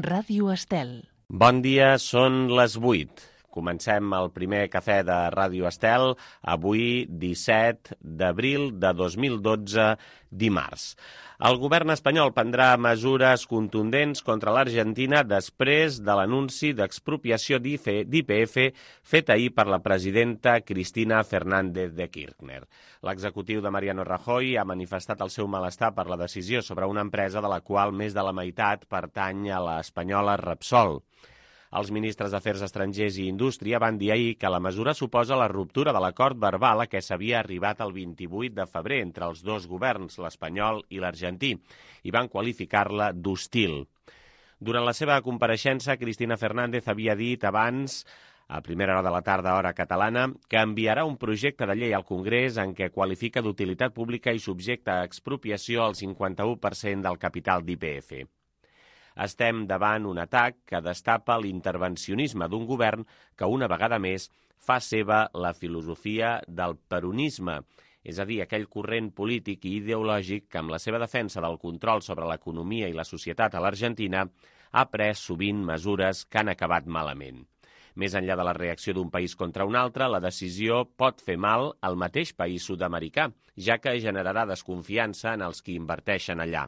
Ràdio Estel. Bon dia, són les 8. Comencem el primer cafè de Ràdio Estel, avui 17 d'abril de 2012, dimarts. El govern espanyol prendrà mesures contundents contra l'Argentina després de l'anunci d'expropiació d'YPF fet ahir per la presidenta Cristina Fernández de Kirchner. L'executiu de Mariano Rajoy ha manifestat el seu malestar per la decisió sobre una empresa de la qual més de la meitat pertany a l'espanyola Repsol. Els ministres d'Afers Estrangers i Indústria van dir ahir que la mesura suposa la ruptura de l'acord verbal a què s'havia arribat el 28 de febrer entre els dos governs, l'espanyol i l'argentí, i van qualificar-la d'hostil. Durant la seva compareixença, Cristina Fernández havia dit abans, a primera hora de la tarda, hora catalana, que enviarà un projecte de llei al Congrés en què qualifica d'utilitat pública i subjecta a expropiació el 51% del capital d'YPF. Estem davant un atac que destapa l'intervencionisme d'un govern que una vegada més fa seva la filosofia del peronisme, és a dir, aquell corrent polític i ideològic que amb la seva defensa del control sobre l'economia i la societat a l'Argentina ha pres sovint mesures que han acabat malament. Més enllà de la reacció d'un país contra un altre, la decisió pot fer mal al mateix país sud-americà, ja que generarà desconfiança en els qui inverteixen allà.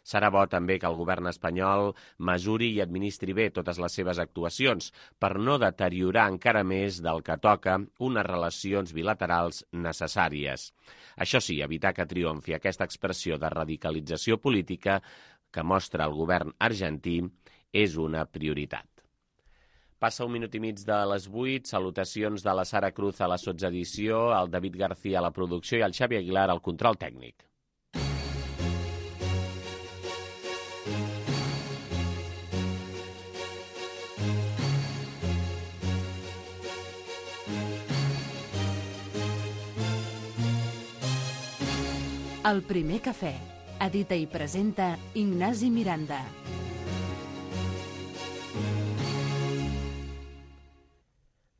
Serà bo també que el govern espanyol mesuri i administri bé totes les seves actuacions per no deteriorar encara més del que toca unes relacions bilaterals necessàries. Això sí, evitar que triomfi aquesta expressió de radicalització política que mostra el govern argentí és una prioritat. Passa un minut i mig de les 8, salutacions de la Sara Cruz a la sotsedició, el David García a la producció i el Xavi Aguilar al control tècnic. El primer cafè. Edita i presenta Ignasi Miranda.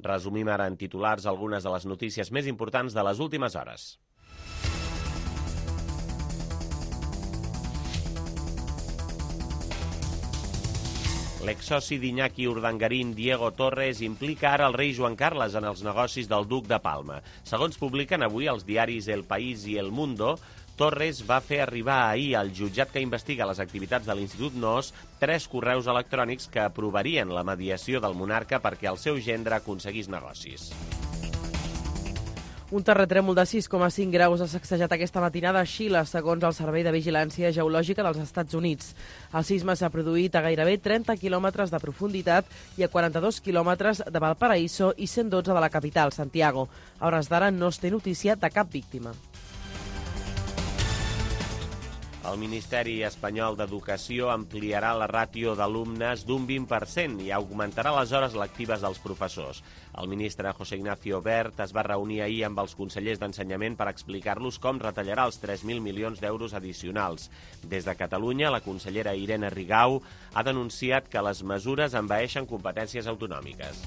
Resumim ara en titulars algunes de les notícies més importants de les últimes hores. L'exsoci d'Iñaki Urdangarín, Diego Torres, implica ara el rei Joan Carles en els negocis del duc de Palma. Segons publiquen avui els diaris El País i El Mundo, Torres va fer arribar ahir al jutjat que investiga les activitats de l'Institut NOS 3 correus electrònics que aprovarien la mediació del monarca perquè el seu gendre aconseguís negocis. Un terratrèmol de 6,5 graus ha sacsejat aquesta matinada a Xile, segons el Servei de Vigilància Geològica dels Estats Units. El sisme s'ha produït a gairebé 30 quilòmetres de profunditat i a 42 quilòmetres de Valparaíso i 112 de la capital, Santiago. A hores d'ara no es té notícia de cap víctima. El Ministeri Espanyol d'Educació ampliarà la ràtio d'alumnes d'un 20% i augmentarà les hores lectives dels professors. El ministre José Ignacio Wert es va reunir ahir amb els consellers d'Ensenyament per explicar-los com retallarà els 3.000 milions d'euros addicionals. Des de Catalunya, la consellera Irene Rigau ha denunciat que les mesures envaeixen competències autonòmiques.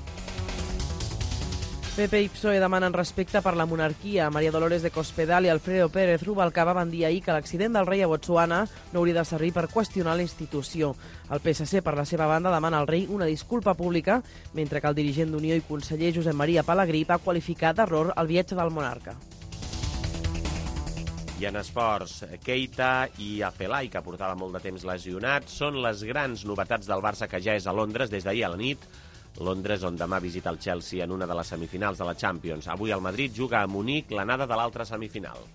PP i PSOE demanen respecte per la monarquia. María Dolores de Cospedal i Alfredo Pérez Rubalcaba van dir ahir que l'accident del rei a Botswana no hauria de servir per qüestionar la institució. El PSC, per la seva banda, demana al rei una disculpa pública, mentre que el dirigent d'Unió i conseller Josep Maria Pelegrí va qualificar d'error el viatge del monarca. I en esports, Keita i Afelai, que portava molt de temps lesionat, són les grans novetats del Barça que ja és a Londres des d'ahir a la nit. Londres, on demà visita el Chelsea en una de les semifinals de la Champions. Avui el Madrid juga a Munic l'anada de l'altra semifinal.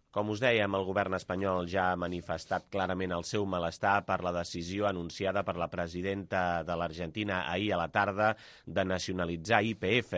Com us dèiem, el govern espanyol ja ha manifestat clarament el seu malestar per la decisió anunciada per la presidenta de l'Argentina ahir a la tarda de nacionalitzar YPF,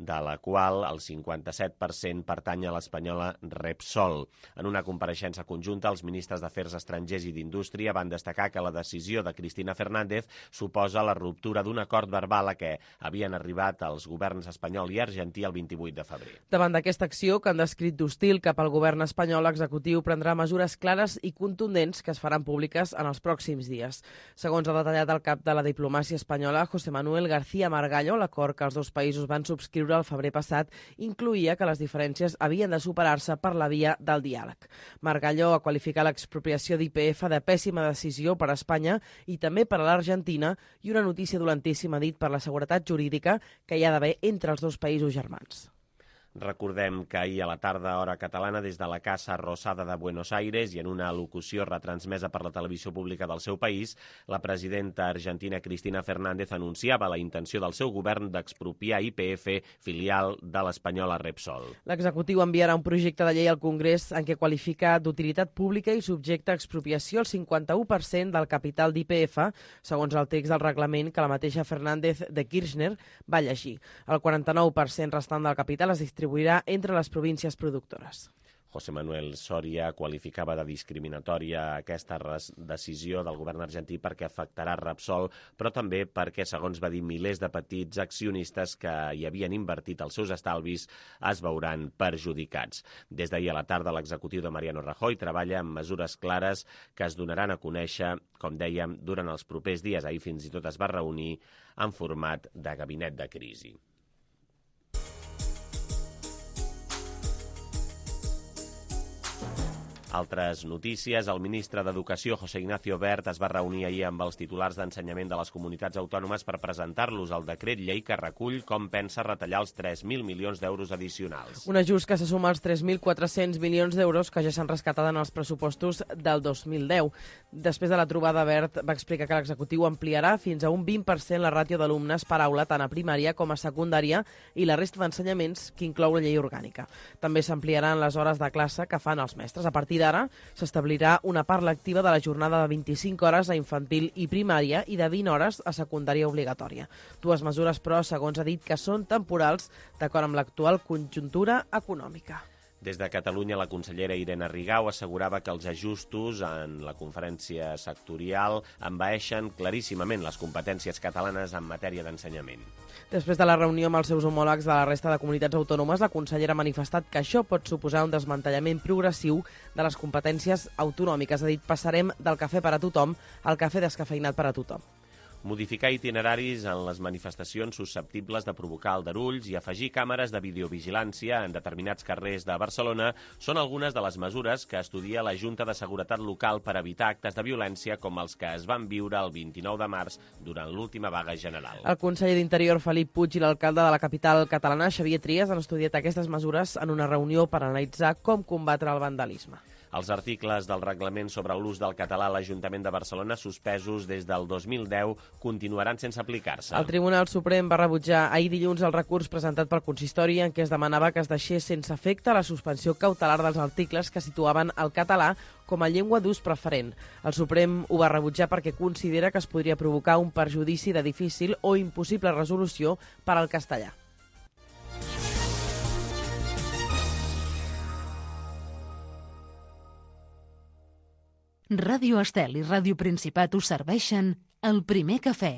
de la qual el 57% pertany a l'espanyola Repsol. En una compareixença conjunta, els ministres d'Afers Estrangers i d'Indústria van destacar que la decisió de Cristina Fernández suposa la ruptura d'un acord verbal a què havien arribat els governs espanyol i argentí el 28 de febrer. Davant d'aquesta acció, que han descrit d'hostil cap al govern espanyol, l'executiu prendrà mesures clares i contundents que es faran públiques en els pròxims dies. Segons ha detallat el cap de la diplomàcia espanyola, José Manuel García Margallo, l'acord que els dos països van subscriure d'investidura el febrer passat incluïa que les diferències havien de superar-se per la via del diàleg. Margallo ha qualificat l'expropiació d'YPF de pèssima decisió per a Espanya i també per a l'Argentina i una notícia dolentíssima, dit, per la seguretat jurídica que hi ha d'haver entre els dos països germans. Recordem que ahir a la tarda, hora catalana, des de la Casa Rosada de Buenos Aires i en una al·locució retransmesa per la televisió pública del seu país, la presidenta argentina Cristina Fernández anunciava la intenció del seu govern d'expropiar YPF, filial de l'espanyola Repsol. L'executiu enviarà un projecte de llei al Congrés en què qualifica d'utilitat pública i subjecta a expropiació el 51% del capital d'YPF, segons el text del reglament que la mateixa Fernández de Kirchner va llegir. El 49% restant del capital es distribuirà entre les províncies productores. José Manuel Soria qualificava de discriminatòria aquesta decisió del govern argentí perquè afectarà Repsol, però també perquè, segons va dir, milers de petits accionistes que hi havien invertit els seus estalvis es veuran perjudicats. Des d'ahir a la tarda, l'executiu de Mariano Rajoy treballa en mesures clares que es donaran a conèixer, com dèiem, durant els propers dies. Ahir fins i tot es va reunir en format de gabinet de crisi. Altres notícies. El ministre d'Educació, José Ignacio Wert, es va reunir ahir amb els titulars d'ensenyament de les comunitats autònomes per presentar-los el decret llei que recull com pensa retallar els 3.000 milions d'euros addicionals. Un ajust que se suma als 3.400 milions d'euros que ja s'han rescatat en els pressupostos del 2010. Després de la trobada, Wert va explicar que l'executiu ampliarà fins a un 20% la ràtio d'alumnes per aula tant a primària com a secundària i la resta d'ensenyaments que inclou la llei orgànica. També s'ampliaran les hores de classe que fan els mestres. A partir d'ara s'establirà una part lectiva de la jornada de 25 hores a infantil i primària i de 20 hores a secundària obligatòria. Dues mesures, però, segons ha dit, que són temporals d'acord amb l'actual conjuntura econòmica. Des de Catalunya, la consellera Irene Rigau assegurava que els ajustos en la conferència sectorial envaeixen claríssimament les competències catalanes en matèria d'ensenyament. Després de la reunió amb els seus homòlegs de la resta de comunitats autònomes, la consellera ha manifestat que això pot suposar un desmantellament progressiu de les competències autonòmiques. Ha dit, passarem del cafè per a tothom al cafè descafeïnat per a tothom. Modificar itineraris en les manifestacions susceptibles de provocar aldarulls i afegir càmeres de videovigilància en determinats carrers de Barcelona són algunes de les mesures que estudia la Junta de Seguretat Local per evitar actes de violència com els que es van viure el 29 de març durant l'última vaga general. El conseller d'Interior, Felip Puig, i l'alcalde de la capital catalana, Xavier Trias, han estudiat aquestes mesures en una reunió per analitzar com combatre el vandalisme. Els articles del reglament sobre l'ús del català a l'Ajuntament de Barcelona, suspesos des del 2010, continuaran sense aplicar-se. El Tribunal Suprem va rebutjar ahir dilluns el recurs presentat pel consistori en què es demanava que es deixés sense efecte la suspensió cautelar dels articles que situaven el català com a llengua d'ús preferent. El Suprem ho va rebutjar perquè considera que es podria provocar un perjudici de difícil o impossible resolució per al castellà. Ràdio Estel i Ràdio Principat us serveixen el primer cafè.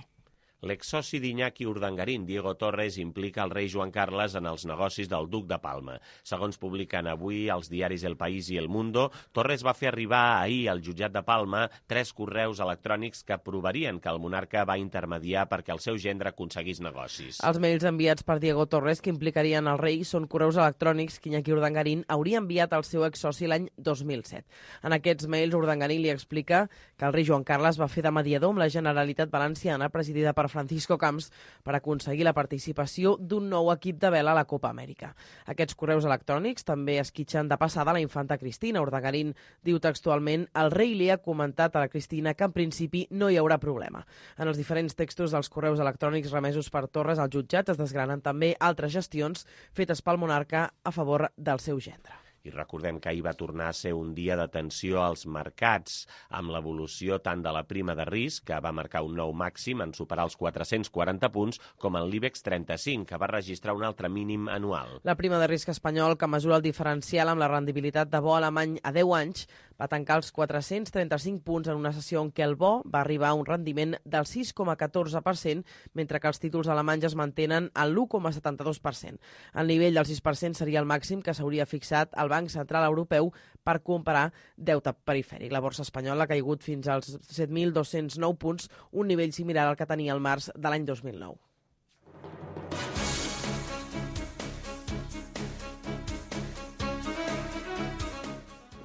L'exsoci d'Iñaki Urdangarín, Diego Torres, implica el rei Joan Carles en els negocis del duc de Palma. Segons publiquen avui els diaris El País i El Mundo, Torres va fer arribar ahir al jutjat de Palma 3 correus electrònics que provarien que el monarca va intermediar perquè el seu gendre aconseguís negocis. Els mails enviats per Diego Torres que implicarien el rei són correus electrònics que Iñaki Urdangarín hauria enviat al seu exsoci l'any 2007. En aquests mails, Urdangarín li explica que el rei Joan Carles va fer de mediador amb la Generalitat Valenciana, presidida per Francisco Camps, per aconseguir la participació d'un nou equip de vela a la Copa Amèrica. Aquests correus electrònics també esquitxen de passada la infanta Cristina. Urdangarín diu textualment: el rei li ha comentat a la Cristina que en principi no hi haurà problema. En els diferents textos dels correus electrònics remesos per Torres al jutjat es desgranen també altres gestions fetes pel monarca a favor del seu gendre. I recordem que ahir va tornar a ser un dia de tensió als mercats, amb l'evolució tant de la prima de risc, que va marcar un nou màxim en superar els 440 punts, com en l'IBEX 35, que va registrar un altre mínim anual. La prima de risc espanyol, que mesura el diferencial amb la rendibilitat de bo alemany a 10 anys, va tancar els 435 punts en una sessió en què el bo va arribar a un rendiment del 6,14%, mentre que els títols alemanys es mantenen al 1,72%. El nivell del 6% seria el màxim que s'hauria fixat al Banc Central Europeu per comparar deute perifèric. La borsa espanyola ha caigut fins als 7.209 punts, un nivell similar al que tenia el març de l'any 2009.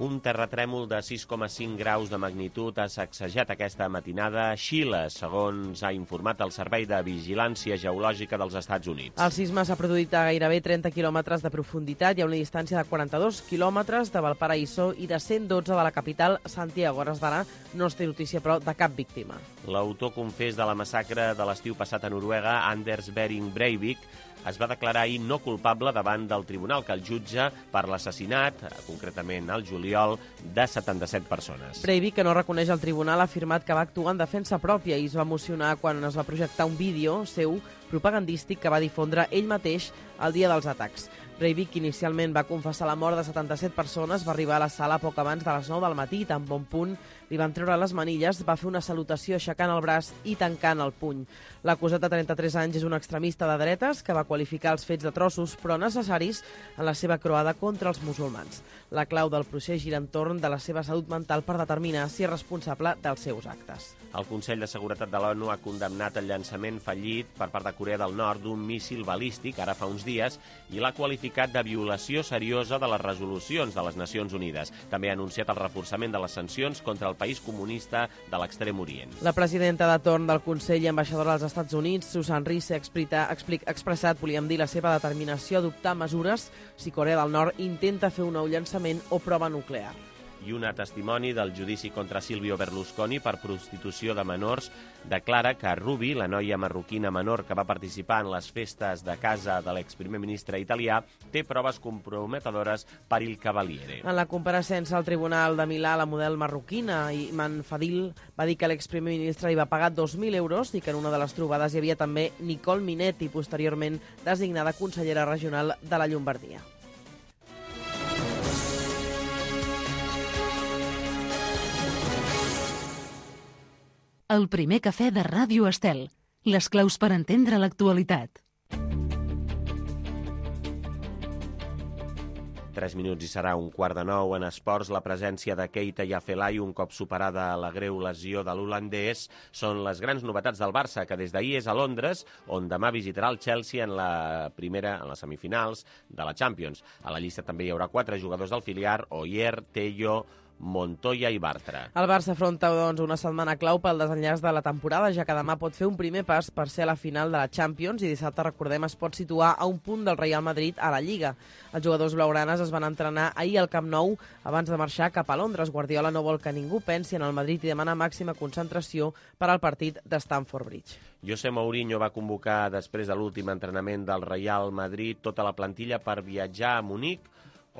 Un terratrèmol de 6,5 graus de magnitud ha sacsejat aquesta matinada a Xile, segons ha informat el Servei de Vigilància Geològica dels Estats Units. El sisme s'ha produït a gairebé 30 quilòmetres de profunditat i a una distància de 42 quilòmetres de Valparaíso i de 112 de la capital, Santiago. A hores d'ara no es té notícia, però, de cap víctima. L'autor confés de la massacre de l'estiu passat a Noruega, Anders Behring Breivik, es va declarar ahir no culpable davant del tribunal que el jutja per l'assassinat, concretament al juliol, de 77 persones. Breivik, que no reconeix el tribunal, ha afirmat que va actuar en defensa pròpia i es va emocionar quan es va projectar un vídeo seu propagandístic que va difondre ell mateix el dia dels atacs. Breivik, que inicialment va confessar la mort de 77 persones, va arribar a la sala poc abans de les 9 del matí i tan bon punt li van treure les manilles, va fer una salutació aixecant el braç i tancant el puny. L'acusat de 33 anys és un extremista de dretes que va qualificar els fets de trossos però necessaris en la seva croada contra els musulmans. La clau del procés gira entorn de la seva salut mental per determinar si és responsable dels seus actes. El Consell de Seguretat de l'ONU ha condemnat el llançament fallit per part de Corea del Nord d'un míssil balístic ara fa uns dies i l'ha qualificat de violació seriosa de les resolucions de les Nacions Unides. També ha anunciat el reforçament de les sancions contra el país comunista de l'Extrem Orient. La presidenta de torn del Consell i ambaixadora dels Estats Units, Susan Rice, ha expressat, volíem dir, la seva determinació a adoptar mesures si Corea del Nord intenta fer un nou llançament o prova nuclear. I un testimoni del judici contra Silvio Berlusconi per prostitució de menors declara que Ruby, la noia marroquina menor que va participar en les festes de casa de l'exprimer ministre italià, té proves comprometedores per il Cavaliere. En la compareixença al Tribunal de Milà, la model marroquina Iman Fadil va dir que l'exprimer ministre li va pagar 2.000 euros i que en una de les trobades hi havia també Nicole Minetti, posteriorment designada consellera regional de la Llombardia. El primer cafè de Ràdio Estel. Les claus per entendre l'actualitat. 3 minuts i serà 8:45 en esports. La presència de Keita Yafelai, un cop superada la greu lesió de l'holandès, són les grans novetats del Barça, que des d'ahir és a Londres, on demà visitarà el Chelsea en les semifinals de la Champions. A la llista també hi haurà 4 jugadors del filial: Oyer, Tello, Montoya i Bartra. El Barça afronta, doncs, una setmana clau pel desenllaç de la temporada, ja que demà pot fer un primer pas per ser a la final de la Champions i dissabte, recordem, es pot situar a un punt del Real Madrid a la Lliga. Els jugadors blaugranes es van entrenar ahir al Camp Nou abans de marxar cap a Londres. Guardiola no vol que ningú pensi en el Madrid i demana màxima concentració per al partit de Stamford Bridge. José Mourinho va convocar després de l'últim entrenament del Real Madrid tota la plantilla per viatjar a Munic,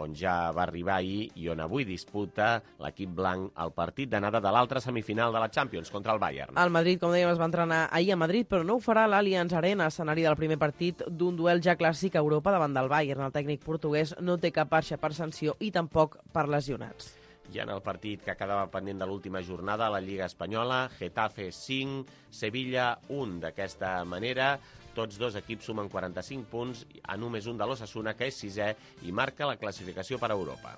on ja va arribar ahir i on avui disputa l'equip blanc el partit d'anada de l'altra semifinal de la Champions contra el Bayern. El Madrid, com dèiem, es va entrenar ahir a Madrid, però no ho farà a l'Allianz Arena, escenari del primer partit d'un duel ja clàssic a Europa davant del Bayern. El tècnic portuguès no té cap baixa per sanció i tampoc per lesionats. Ja en el partit que quedava pendent de l'última jornada a la Lliga Espanyola, Getafe 5, Sevilla 1. D'aquesta manera, tots dos equips sumen 45 punts a només un de l'Osasuna, que és 6è i marca la classificació per a Europa.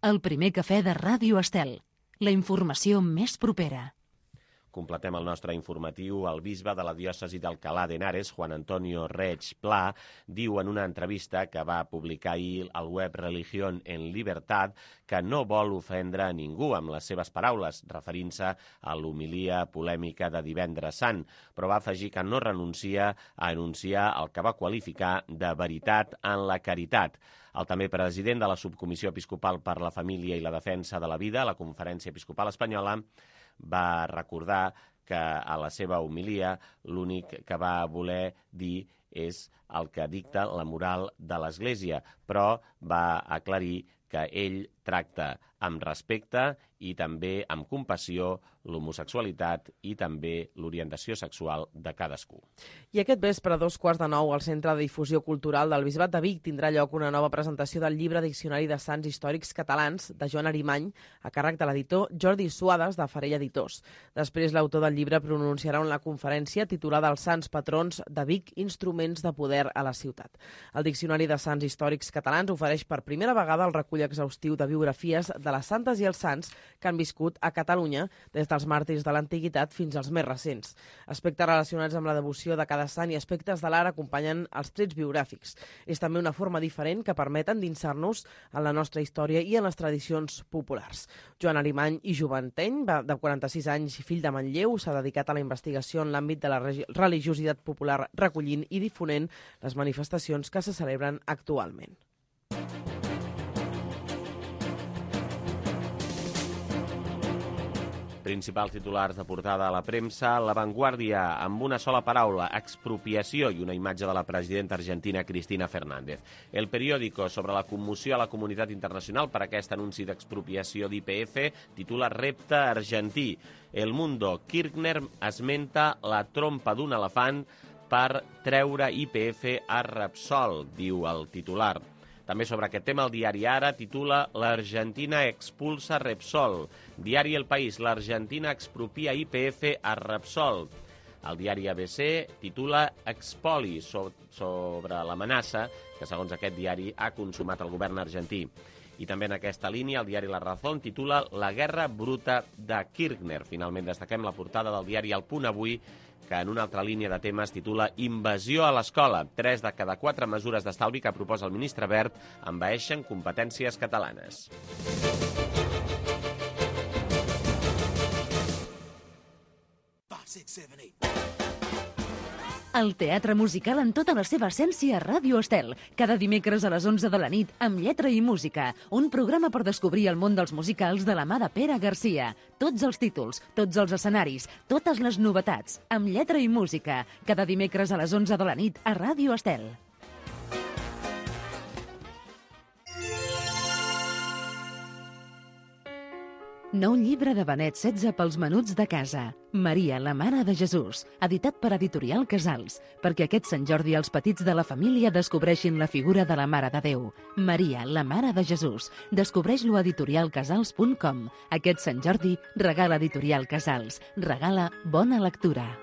El primer cafè de Ràdio Estel. La informació més propera. Completem el nostre informatiu. El bisbe de la diòcesi d'Alcalá de Henares, Juan Antonio Reig Pla, diu en una entrevista que va publicar ahir al web Religión en Libertad que no vol ofendre a ningú amb les seves paraules, referint-se a l'homilia polèmica de Divendres Sant, però va afegir que no renuncia a anunciar el que va qualificar de veritat en la caritat. El també president de la Subcomissió Episcopal per la Família i la Defensa de la Vida a la Conferència Episcopal Espanyola va recordar que a la seva homilia l'únic que va voler dir és el que dicta la moral de l'Església, però va aclarir que ell tracta amb respecte i també amb compassió l'homosexualitat i també l'orientació sexual de cadascú. I aquest vespre, a 8:45, al Centre de Difusió Cultural del Bisbat de Vic tindrà lloc una nova presentació del llibre Diccionari de Sants Històrics Catalans de Joan Arimany, a càrrec de l'editor Jordi Suades, de Farell Editors. Després, l'autor del llibre pronunciarà una conferència titulada Els Sants Patrons de Vic, instruments de poder a la ciutat. El Diccionari de Sants Històrics Catalans ofereix per primera vegada el recull exhaustiu de biografies de les santes i els sants que han viscut a Catalunya des dels màrtirs de l'antiguitat fins als més recents. Aspectes relacionats amb la devoció de cada sant i aspectes de l'art acompanyen els trets biogràfics. És també una forma diferent que permet endinsar-nos en la nostra història i en les tradicions populars. Joan Arimany i Joventeny, de 46 anys i fill de Manlleu, s'ha dedicat a la investigació en l'àmbit de la religiositat popular, recollint i difonent les manifestacions que se celebren actualment. Principals titulars de portada a la premsa, La Vanguardia, amb una sola paraula, expropiació i una imatge de la presidenta argentina Cristina Fernández. El Periódico, sobre la commoció a la comunitat internacional per aquest anunci d'expropiació d'YPF, titula Repte argentí. El Mundo, Kirchner esmenta la trompa d'un elefant per treure YPF a Repsol, diu el titular. També sobre aquest tema, el diari Ara titula L'Argentina expulsa Repsol. Diari El País, l'Argentina expropia YPF a Repsol. El diari ABC titula Expoli, sobre l'amenaça que, segons aquest diari, ha consumat el govern argentí. I també en aquesta línia, el diari La Razón titula La guerra bruta de Kirchner. Finalment destaquem la portada del diari El Punt Avui, que en una altra línia de temes titula Invasió a l'escola. 3 de cada 4 mesures d'estalvi que proposa el ministre Wert envaeixen competències catalanes. El teatre musical en tota la seva essència a Ràdio Estel. Cada dimecres a les 11 de la nit, amb lletra i música. Un programa per descobrir el món dels musicals de la mà de Pere Garcia. Tots els títols, tots els escenaris, totes les novetats. Amb lletra i música. Cada dimecres a les 11 de la nit a Ràdio Estel. Nou llibre de Benet XVI pels menuts de casa. Maria, la mare de Jesús, editat per Editorial Casals, perquè aquest Sant Jordi els petits de la família descobreixin la figura de la Mare de Déu. Maria, la mare de Jesús. Descobreix-lo a editorialcasals.com. Aquest Sant Jordi, regala Editorial Casals. Regala bona lectura.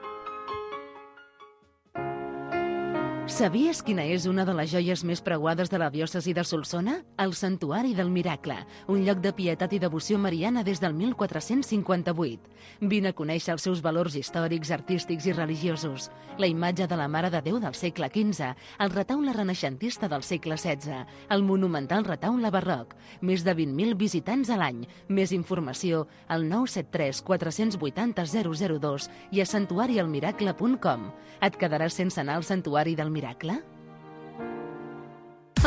Sabies quina és una de les joies més preuades de la diòcesi de Solsona? El Santuari del Miracle, un lloc de pietat i devoció mariana des del 1458. Vine a conèixer els seus valors històrics, artístics i religiosos. La imatge de la Mare de Déu del segle XV, el retaule renaixentista del segle XVI, el monumental retaule barroc, més de 20.000 visitants a l'any. Més informació al 973 480 002 i a santuarialmiracle.com. Et quedaràs sense anar al Santuari del Miracle?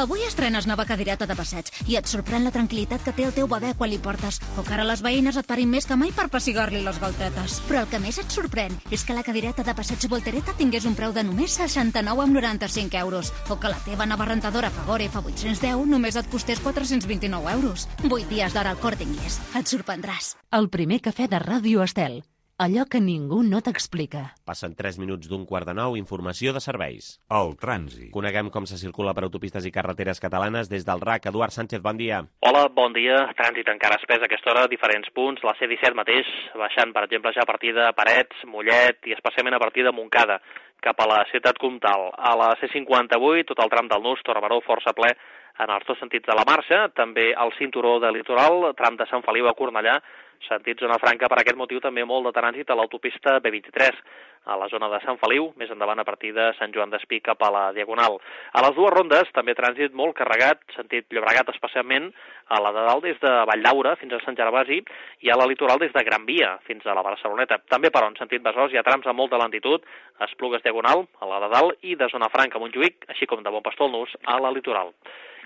Avui estrenes nova cadireta de passeig i et sorprèn la tranquil·litat que té el teu bebè quan li portes, o que ara les veïnes et parin més que mai per pessigar-li les galtetes. Però el que més et sorprèn és que la cadireta de passeig Voltereta tingués un preu de només 69,95 €, o que la teva nova rentadora Fagor F810 només et costés 429 €. 8 dies d'hora al Corte Inglés. Et sorprendràs. El primer cafè de Ràdio Estel. Allò que ningú no t'explica. Passen 3 minuts d'un 8:45, informació de serveis. El trànsit. Coneguem com se circula per autopistes i carreteres catalanes des del RAC. Eduard Sánchez, bon dia. Hola, bon dia. Trànsit encara espès a aquesta hora a diferents punts. La C-17 mateix, baixant, per exemple, ja a partir de Parets, Mollet i especialment a partir de Montcada, cap a la ciutat comtal. A la C-58, tot el tram del Nus, Torre-Baró, força ple en els dos sentits de la marxa. També al cinturó de litoral, tram de Sant Feliu a Cornellà, sentit zona franca. Per aquest motiu també molt de trànsit a l'autopista B23, a la zona de Sant Feliu, més endavant a partir de Sant Joan d'Espí cap a la Diagonal. A les dues rondes també trànsit molt carregat, sentit Llobregat especialment, a la de dalt des de Valldaura fins a Sant Gervasi i a la litoral des de Gran Via fins a la Barceloneta. També per on sentit Besòs hi ha trams amb molta lentitud, Esplugues Diagonal, a la de dalt i de zona franca a Montjuïc, així com de Bon Pastor al Nus a la litoral.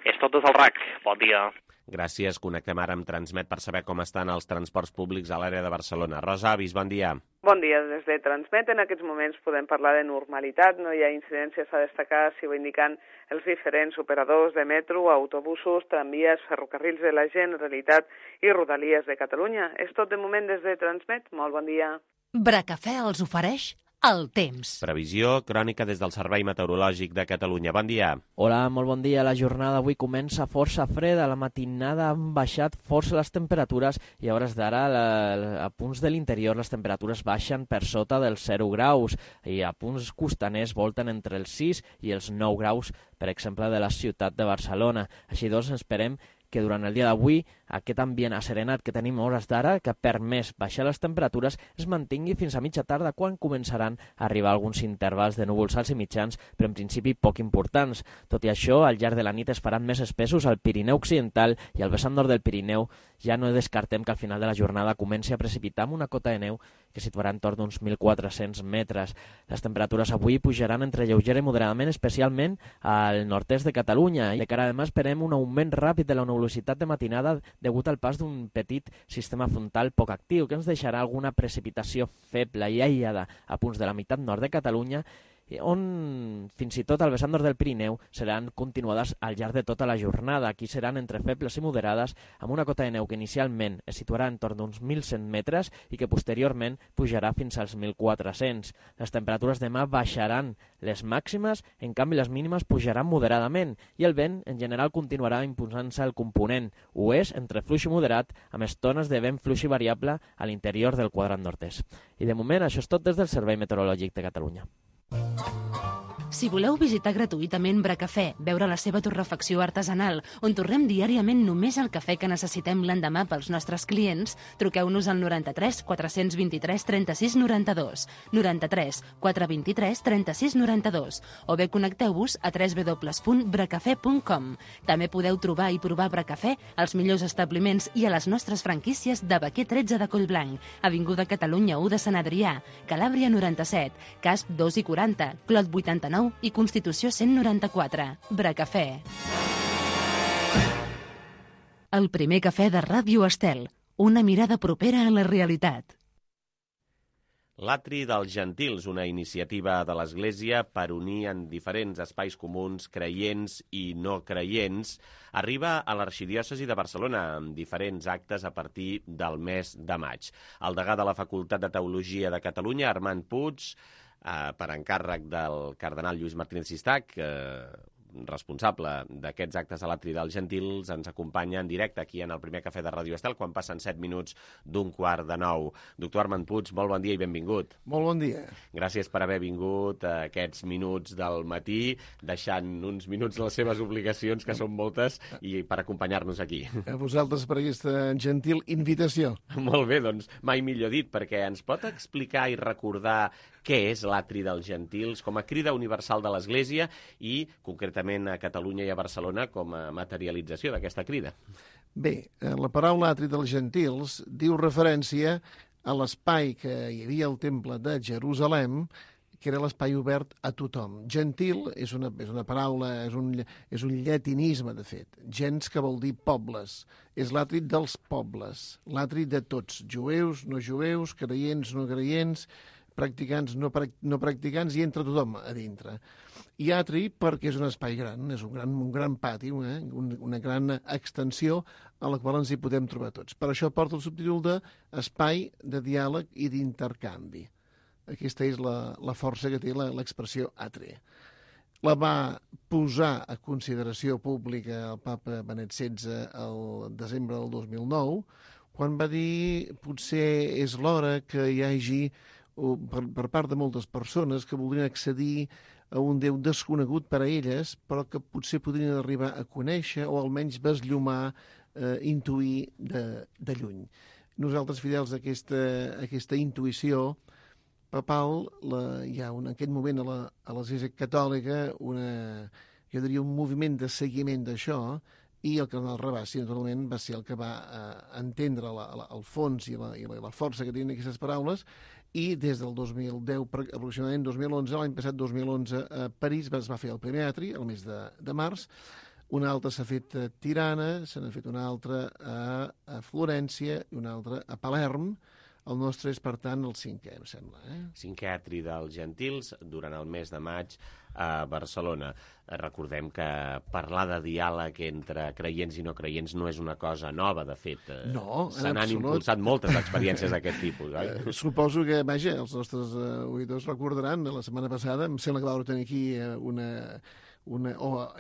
És tot des del RAC. Bon dia. Gràcies. Connectem ara amb Transmet per saber com estan els transports públics a l'àrea de Barcelona. Rosa Avis, bon dia. Bon dia. Des de Transmet en aquests moments podem parlar de normalitat. No hi ha incidències a destacar, si ho indican els diferents operadors de metro, autobusos, tramvies, ferrocarrils de la Generalitat i Rodalies de Catalunya. És tot de moment des de Transmet. Molt bon dia. Bracafè els ofereix el temps. Previsió crònica des del Servei Meteorològic de Catalunya. Bon dia. Hola, molt bon dia. La jornada avui comença força freda. A la matinada han baixat força les temperatures i a hores d'ara a punts de l'interior les temperatures baixen per sota dels 0 graus i a punts costaners volten entre els 6 i els 9 graus, per exemple, de la ciutat de Barcelona. Així doncs, esperem que durant el dia d'avui aquest ambient asserenat que tenim a hores d'ara, que ha permès baixar les temperatures, es mantingui fins a mitja tarda, quan començaran a arribar alguns intervals de núvols alts i mitjans, però en principi poc importants. Tot i això, al llarg de la nit es faran més espessos al Pirineu Occidental i al vessant nord del Pirineu. Ja no descartem que al final de la jornada comenci a precipitar amb una cota de neu que situarà entorn d'uns 1.400 metres. Les temperatures avui pujaran entre lleugera i moderadament, especialment al nord-est de Catalunya. I de cara a demà esperem un augment ràpid de la nebulositat de matinada degut al pas d'un petit sistema frontal poc actiu, que ens deixarà alguna precipitació feble i aïllada a punts de la meitat nord de Catalunya, on fins i tot al vessant nord del Pirineu seran continuades al llarg de tota la jornada. Aquí seran entre febles i moderades, amb una cota de neu que inicialment es situarà entorn d'uns 1.100 metres i que posteriorment pujarà fins als 1.400. Les temperatures demà baixaran les màximes, en canvi les mínimes pujaran moderadament i el vent en general continuarà imposant-se al component oest entre fluix i moderat, amb estones de vent fluix i variable a l'interior del quadrant nord-est. I de moment això és tot des del Servei Meteorològic de Catalunya. Si voleu visitar gratuïtament Bracafè, veure la seva torrefacció artesanal, on torrem diàriament només el cafè que necessitem l'endemà pels nostres clients, truqueu-nos al 93 423 36 92, 93 423 36 92, o bé connecteu-vos a www.bracafè.com. També podeu trobar i provar Bracafè als millors establiments i a les nostres franquícies de Baquer 13 de Collblanc, Avinguda Catalunya 1 de Sant Adrià, Calàbria 97, Casp 2 i 40, Clot 89 i Constitució 194. Bracafè. El primer cafè de Ràdio Estel. Una mirada propera a la realitat. L'Atri dels Gentils, una iniciativa de l'Església per unir en diferents espais comuns creients i no creients, arriba a l'Arxidiòcesi de Barcelona amb diferents actes a partir del mes de maig. El degà de la Facultat de Teologia de Catalunya, Armand Puig, per encàrrec del cardenal Lluís Martínez Sistac, responsable d'aquests actes a l'Atri dels Gentils, ens acompanya en directe aquí en el primer cafè de Ràdio Estel quan passen 7 minuts d'1:15. Doctor Armand Puig, molt bon dia i benvingut. Molt bon dia. Gràcies per haver vingut a aquests minuts del matí, deixant uns minuts les seves obligacions, que són moltes, i per acompanyar-nos aquí. A vosaltres per aquesta gentil invitació. Molt bé, doncs mai millor dit, perquè ens pot explicar i recordar què és l'Atri dels Gentils com a crida universal de l'Església i, concretament, a Catalunya i a Barcelona com a materialització d'aquesta crida? Bé, la paraula Atri dels Gentils diu referència a l'espai que hi havia al Temple de Jerusalem, que era l'espai obert a tothom. Gentil és una paraula, és un llatinisme, de fet. Gens, que vol dir pobles. És l'atri dels pobles, l'atri de tots, jueus, no jueus, creients, no creients, practicants, no practicants, i entre tothom a dintre. I atri perquè és un espai gran, és un gran pati, una gran extensió a la qual ens hi podem trobar tots. Per això porta el subtítol d'espai de diàleg i d'intercanvi. Aquesta és la força que té l'expressió atri. La va posar a consideració pública el papa Benet XVI el desembre del 2009, quan va dir potser és l'hora que hi hagi per part de moltes persones que voldrien accedir a un Déu desconegut per a elles, però que potser podrien arribar a conèixer o almenys besllumar, intuir de lluny. Nosaltres, fidels a aquesta intuïció papal, hi ha en aquest moment a l'Església Catòlica jo diria un moviment de seguiment d'això, i el cardenal Rabassi, naturalment, va ser el que va entendre el fons i la força que tenien aquestes paraules, i des del 2010, aproximadament 2011, l'any passat 2011, a París es va fer el primer atri, el mes de març. Un altre s'ha fet a Tirana, se n'ha fet un altre a Florència i un altre a Palerm. El nostre és, per tant, el 5è, em sembla. Cinquè atri dels Gentils durant el mes de maig a Barcelona. Recordem que parlar de diàleg entre creients i no creients no és una cosa nova, de fet. No, se n'han impulsat moltes experiències d'aquest tipus, oi? Suposo que, vaja, els nostres oïdors recordaran, la setmana passada, em sembla que vau tenir aquí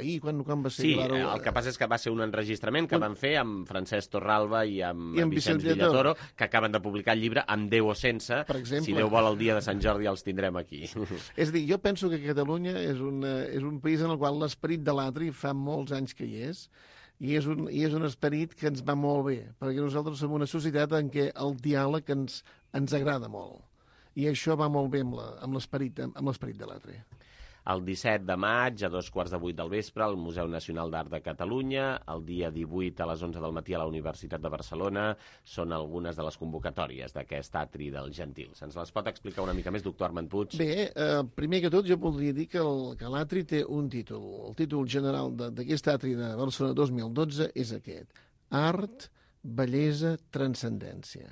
ahir, quan va ser? Sí, el que passa és que va ser un enregistrament que van fer amb Francesc Torralba i amb Vicenç Villatoro, que acaben de publicar el llibre Amb Déu o sense. Per exemple. Si Déu vol, el dia de Sant Jordi els tindrem aquí. És a dir, jo penso que Catalunya és un país en el qual l'esperit de l'atri fa molts anys que hi és. I és un esperit que ens va molt bé, perquè nosaltres som una societat en què el diàleg ens agrada molt. I això va molt bé amb l'esperit de l'altre. El 17 de maig, a 2:15 del vespre, al Museu Nacional d'Art de Catalunya. El dia 18, a les 11 del matí, a la Universitat de Barcelona. Són algunes de les convocatòries d'aquest atri dels Gentils. Ens les pot explicar una mica més, doctor Armand Puig? Bé, primer que tot, jo voldria dir que l'atri té un títol. El títol general d'aquest atri de Barcelona 2012 és aquest: Art, bellesa, transcendència.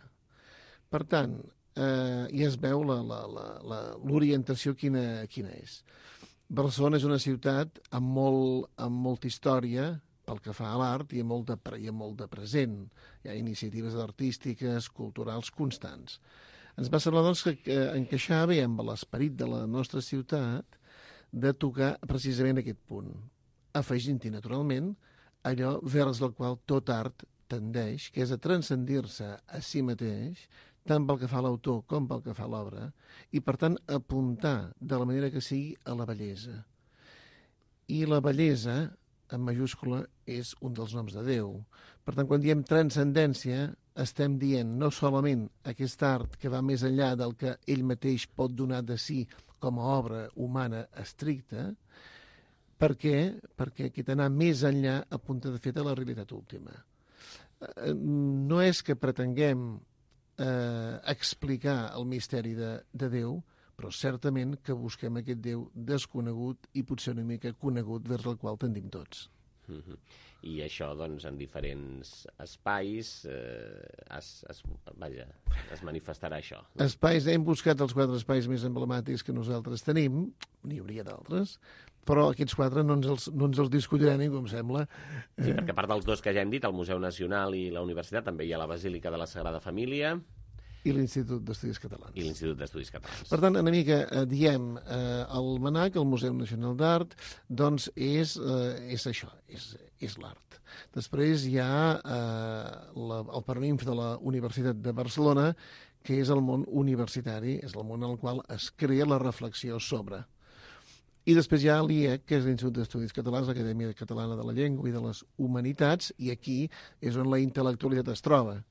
Per tant, ja es veu l'orientació quina és. Barcelona és una ciutat amb molta història pel que fa a l'art i amb molt de present. Hi ha iniciatives artístiques, culturals constants. Ens va semblar, doncs, que encaixava bé amb l'esperit de la nostra ciutat de tocar precisament aquest punt, afegint-hi, naturalment, allò vers el qual tot art tendeix, que és a transcendir-se a si mateix, tant pel que fa a l'autor com pel que fa a l'obra, i, per tant, apuntar de la manera que sigui a la bellesa. I la bellesa, en majúscula, és un dels noms de Déu. Per tant, quan diem transcendència, estem dient no solament aquest art que va més enllà del que ell mateix pot donar de si com a obra humana estricta. Per què? Perquè aquest anar més enllà apunta, de fet, a la realitat última. No és que pretenguem explicar el misteri de Déu, però certament que busquem aquest Déu desconegut i potser una mica conegut vers el qual tendim tots. I això, doncs, en diferents espais es manifestarà això. Espais, hem buscat els 4 espais més emblemàtics que nosaltres tenim, n'hi hauria d'altres, però aquests 4 no ens els discutirà ningú, em sembla. Sí, perquè a part dels 2 que ja hem dit, el Museu Nacional i la Universitat, també hi ha la Basílica de la Sagrada Família. I l'Institut d'Estudis Catalans. Per tant, una mica diem, el MNAC, el Museu Nacional d'Art, doncs és això, és l'art. Després hi ha el Paraninf de la Universitat de Barcelona, que és el món universitari, és el món en el qual es crea la reflexió sobre. I després hi ha l'IEC, que és l'Institut d'Estudis Catalans, l'Acadèmia Catalana de la Llengua i de les Humanitats, i aquí és on la intel·lectualitat es troba.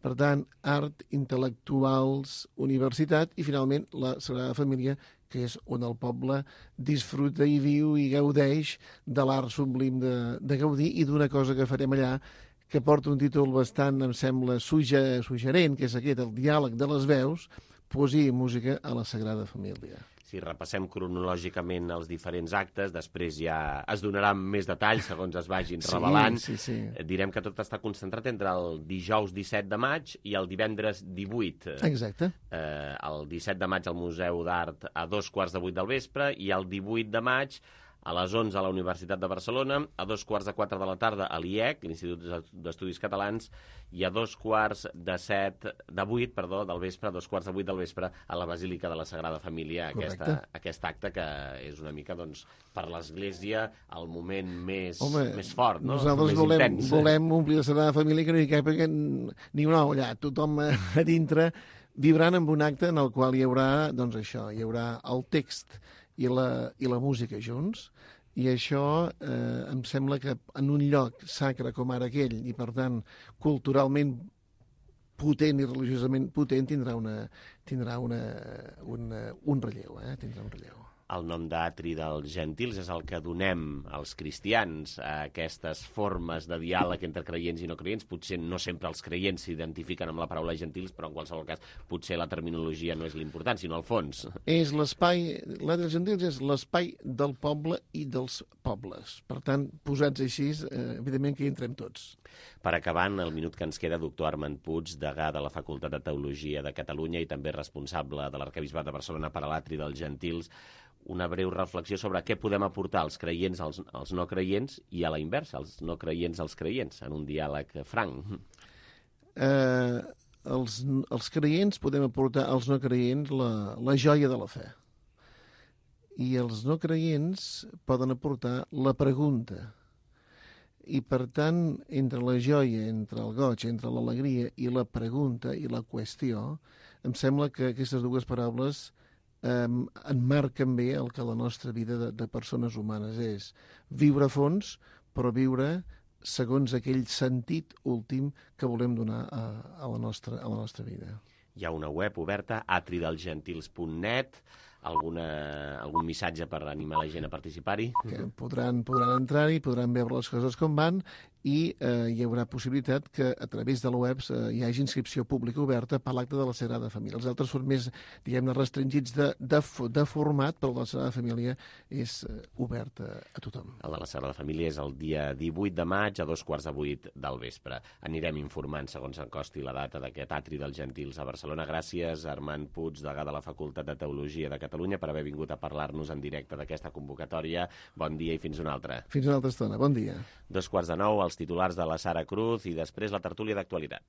Per tant, art, intel·lectuals, universitat i, finalment, la Sagrada Família, que és on el poble disfruta i viu i gaudeix de l'art sublim de Gaudí i d'una cosa que farem allà que porta un títol bastant, em sembla, suggerent, que és aquest, el diàleg de les veus, poesia i música a la Sagrada Família. Si repassem cronològicament els diferents actes, després ja es donaran més detalls segons es vagin revelant. Sí. Direm que tot està concentrat entre el dijous 17 de maig i el divendres 18. Exacte. El 17 de maig al Museu d'Art a 2:15 del vespre i el 18 de maig a les 11 a la Universitat de Barcelona, a 3:45 de la tarda a l'IEC, l'Institut d'Estudis Catalans, i a 2:15 del vespre, a 2:15 del vespre, a la Basílica de la Sagrada Família, aquest acte que és una mica, doncs, per l'Església el moment més fort, no? Nosaltres volem omplir la Sagrada Família que no hi cap ni una olla, tothom a dintre, vibrant amb un acte en el qual hi haurà, doncs això, hi haurà el text i la música junts, i això em sembla que en un lloc sacre com ara aquell, i per tant culturalment potent i religiosament potent, tindrà un relleu, tindrà un relleu. El nom d'atri dels Gentils és el que donem als cristians a aquestes formes de diàleg entre creients i no creients. Potser no sempre els creients s'identifiquen amb la paraula gentils, però en qualsevol cas potser la terminologia no és l'important, sinó el fons. És l'espai, l'atri dels Gentils és l'espai del poble i dels pobles. Per tant, posats així, evidentment que hi entrem tots. Per acabar, en el minut que ens queda, doctor Armand Puig, degà de la Facultat de Teologia de Catalunya i també responsable de l'Arquebisbat de Barcelona per a l'atri dels Gentils, una breu reflexió sobre què podem aportar als creients als no creients i a la inversa, als no creients als creients, en un diàleg franc. Els creients podem aportar als no creients la joia de la fe. I els no creients poden aportar la pregunta. I, per tant, entre la joia, entre el goig, entre l'alegria i la pregunta i la qüestió, em sembla que aquestes dues paraules enmarquen bé el que la nostra vida de persones humanes és. Viure a fons, però viure segons aquell sentit últim que volem donar a la nostra vida. Hi ha una web oberta, atridelgentils.net, algun missatge per animar la gent a participar-hi? Que podran entrar-hi, podran veure les coses com van, i hi haurà possibilitat que a través de la web hi hagi inscripció pública oberta per l'acte de la Sagrada Família. Els altres són més, diguem-ne, restringits de format, però la Sagrada Família és oberta a tothom. El de la Sagrada Família és el dia 18 de maig a 7:45 del vespre. Anirem informant segons encosti la data d'aquest Atri dels Gentils a Barcelona. Gràcies, Armand Puig, degà de la Facultat de Teologia de Catalunya, per haver vingut a parlar-nos en directe d'aquesta convocatòria. Bon dia i fins una altra. Fins una altra estona. Bon dia. 8:45, els titulars de la Sara Cruz i després la tertúlia d'actualitat.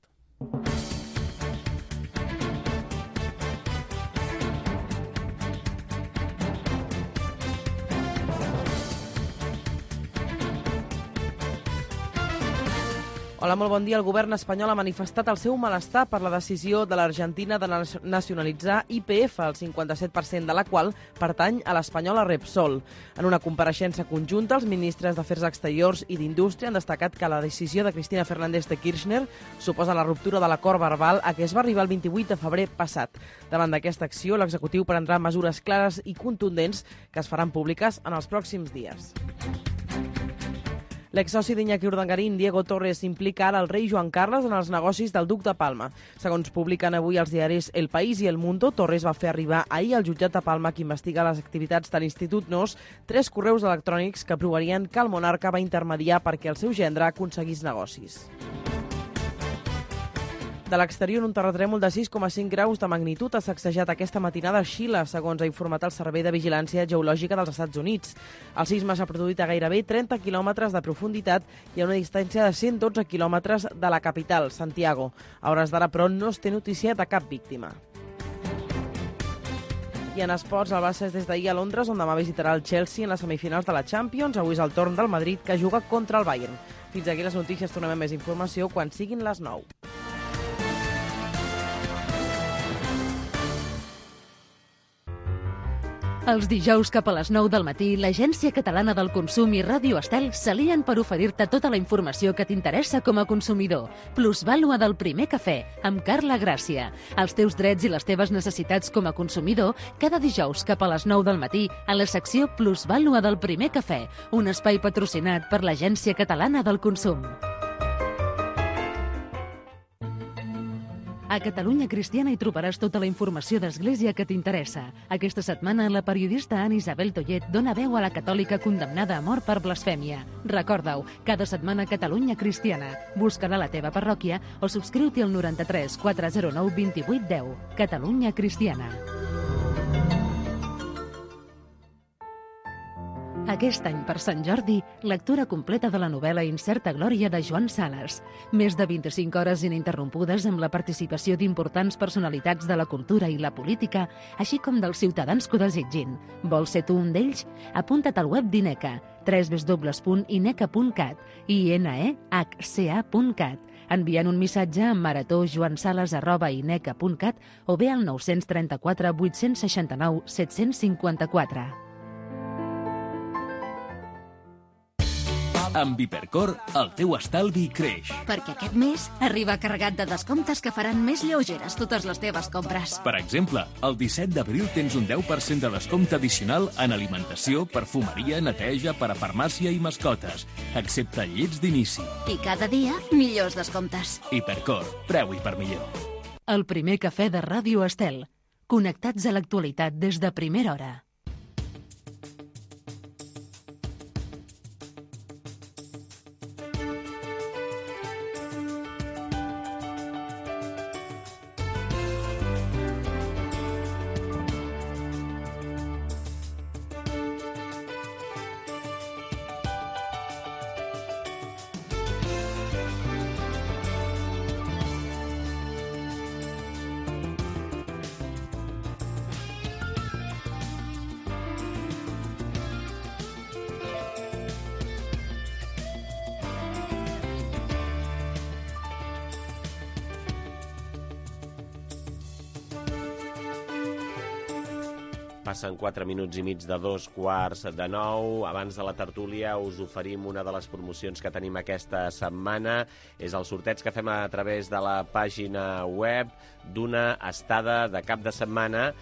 Hola, molt bon dia. El govern espanyol ha manifestat el seu malestar per la decisió de l'Argentina de nacionalitzar YPF, el 57% de la qual pertany a l'espanyola Repsol. En una compareixença conjunta, els ministres d'Afers Exteriors i d'Indústria han destacat que la decisió de Cristina Fernández de Kirchner suposa la ruptura de l'acord verbal a què es va arribar el 28 de febrer passat. Davant d'aquesta acció, l'executiu prendrà mesures clares i contundents que es faran públiques en els pròxims dies. L'exsoci d'Iñaki Urdangarín, Diego Torres, implica ara el rei Joan Carles en els negocis del duc de Palma. Segons publiquen avui els diaris El País i El Mundo, Torres va fer arribar ahir al jutjat de Palma, que investiga les activitats de l'Institut NOS, 3 correus electrònics que provarien que el monarca va intermediar perquè el seu gendre aconseguís negocis. De l'exterior, un terratrèmol de 6,5 graus de magnitud ha sacsejat aquesta matinada a Xile, segons ha informat el Servei de Vigilància Geològica dels Estats Units. El sisme s'ha produït a gairebé 30 quilòmetres de profunditat i a una distància de 112 quilòmetres de la capital, Santiago. A hores d'ara, però, no es té notícia de cap víctima. I en esports, el Barça és des d'ahir a Londres, on demà visitarà el Chelsea en les semifinals de la Champions. Avui és el torn del Madrid, que juga contra el Bayern. Fins aquí les notícies. Tornem amb més informació quan siguin les 9. Els dijous cap a les 9 del matí, l'Agència Catalana del Consum i Ràdio Estel s'alien per oferir-te tota la informació que t'interessa com a consumidor. Plusvàlua del primer cafè, amb Carla Gràcia. Els teus drets i les teves necessitats com a consumidor, cada dijous cap a les 9 del matí, a la secció Plusvàlua del primer cafè, un espai patrocinat per l'Agència Catalana del Consum. A Catalunya Cristiana hi trobaràs tota la informació d'Església que t'interessa. Aquesta setmana, la periodista Anna Isabel Tollet dona veu a la catòlica condemnada a mort per blasfèmia. Recorda-ho, cada setmana Catalunya Cristiana. Busca-la a la teva parròquia o subscriu-t'hi al 93 409 28 10. Catalunya Cristiana. Aquest any, per Sant Jordi, lectura completa de la novel·la Incerta Glòria de Joan Sales. Més de 25 hores ininterrompudes amb la participació d'importants personalitats de la cultura i la política, així com dels ciutadans que ho desitgin. Vols ser tu un d'ells? Apunta't al web d'INECA, www.ineca.cat i inehca.cat, enviant un missatge a marató.joansales@ineca.cat o bé al 934 869 754. Amb Hipercor, el teu estalvi creix. Perquè aquest mes arriba carregat de descomptes que faran més lleugeres totes les teves compres. Per exemple, el 17 d'abril tens un 10% de descompte addicional en alimentació, perfumeria, neteja, parafarmàcia i mascotes, excepte llits d'inici. I cada dia, millors descomptes. Hipercor, preu hipermillor. El primer cafè de Ràdio Estel. Connectats a l'actualitat des de primera hora. Passen 4 minuts i mig de 8:45. Abans de la tertúlia us oferim una de les promocions que tenim aquesta setmana. És el sorteig que fem a través de la pàgina web d'una estada de cap de setmana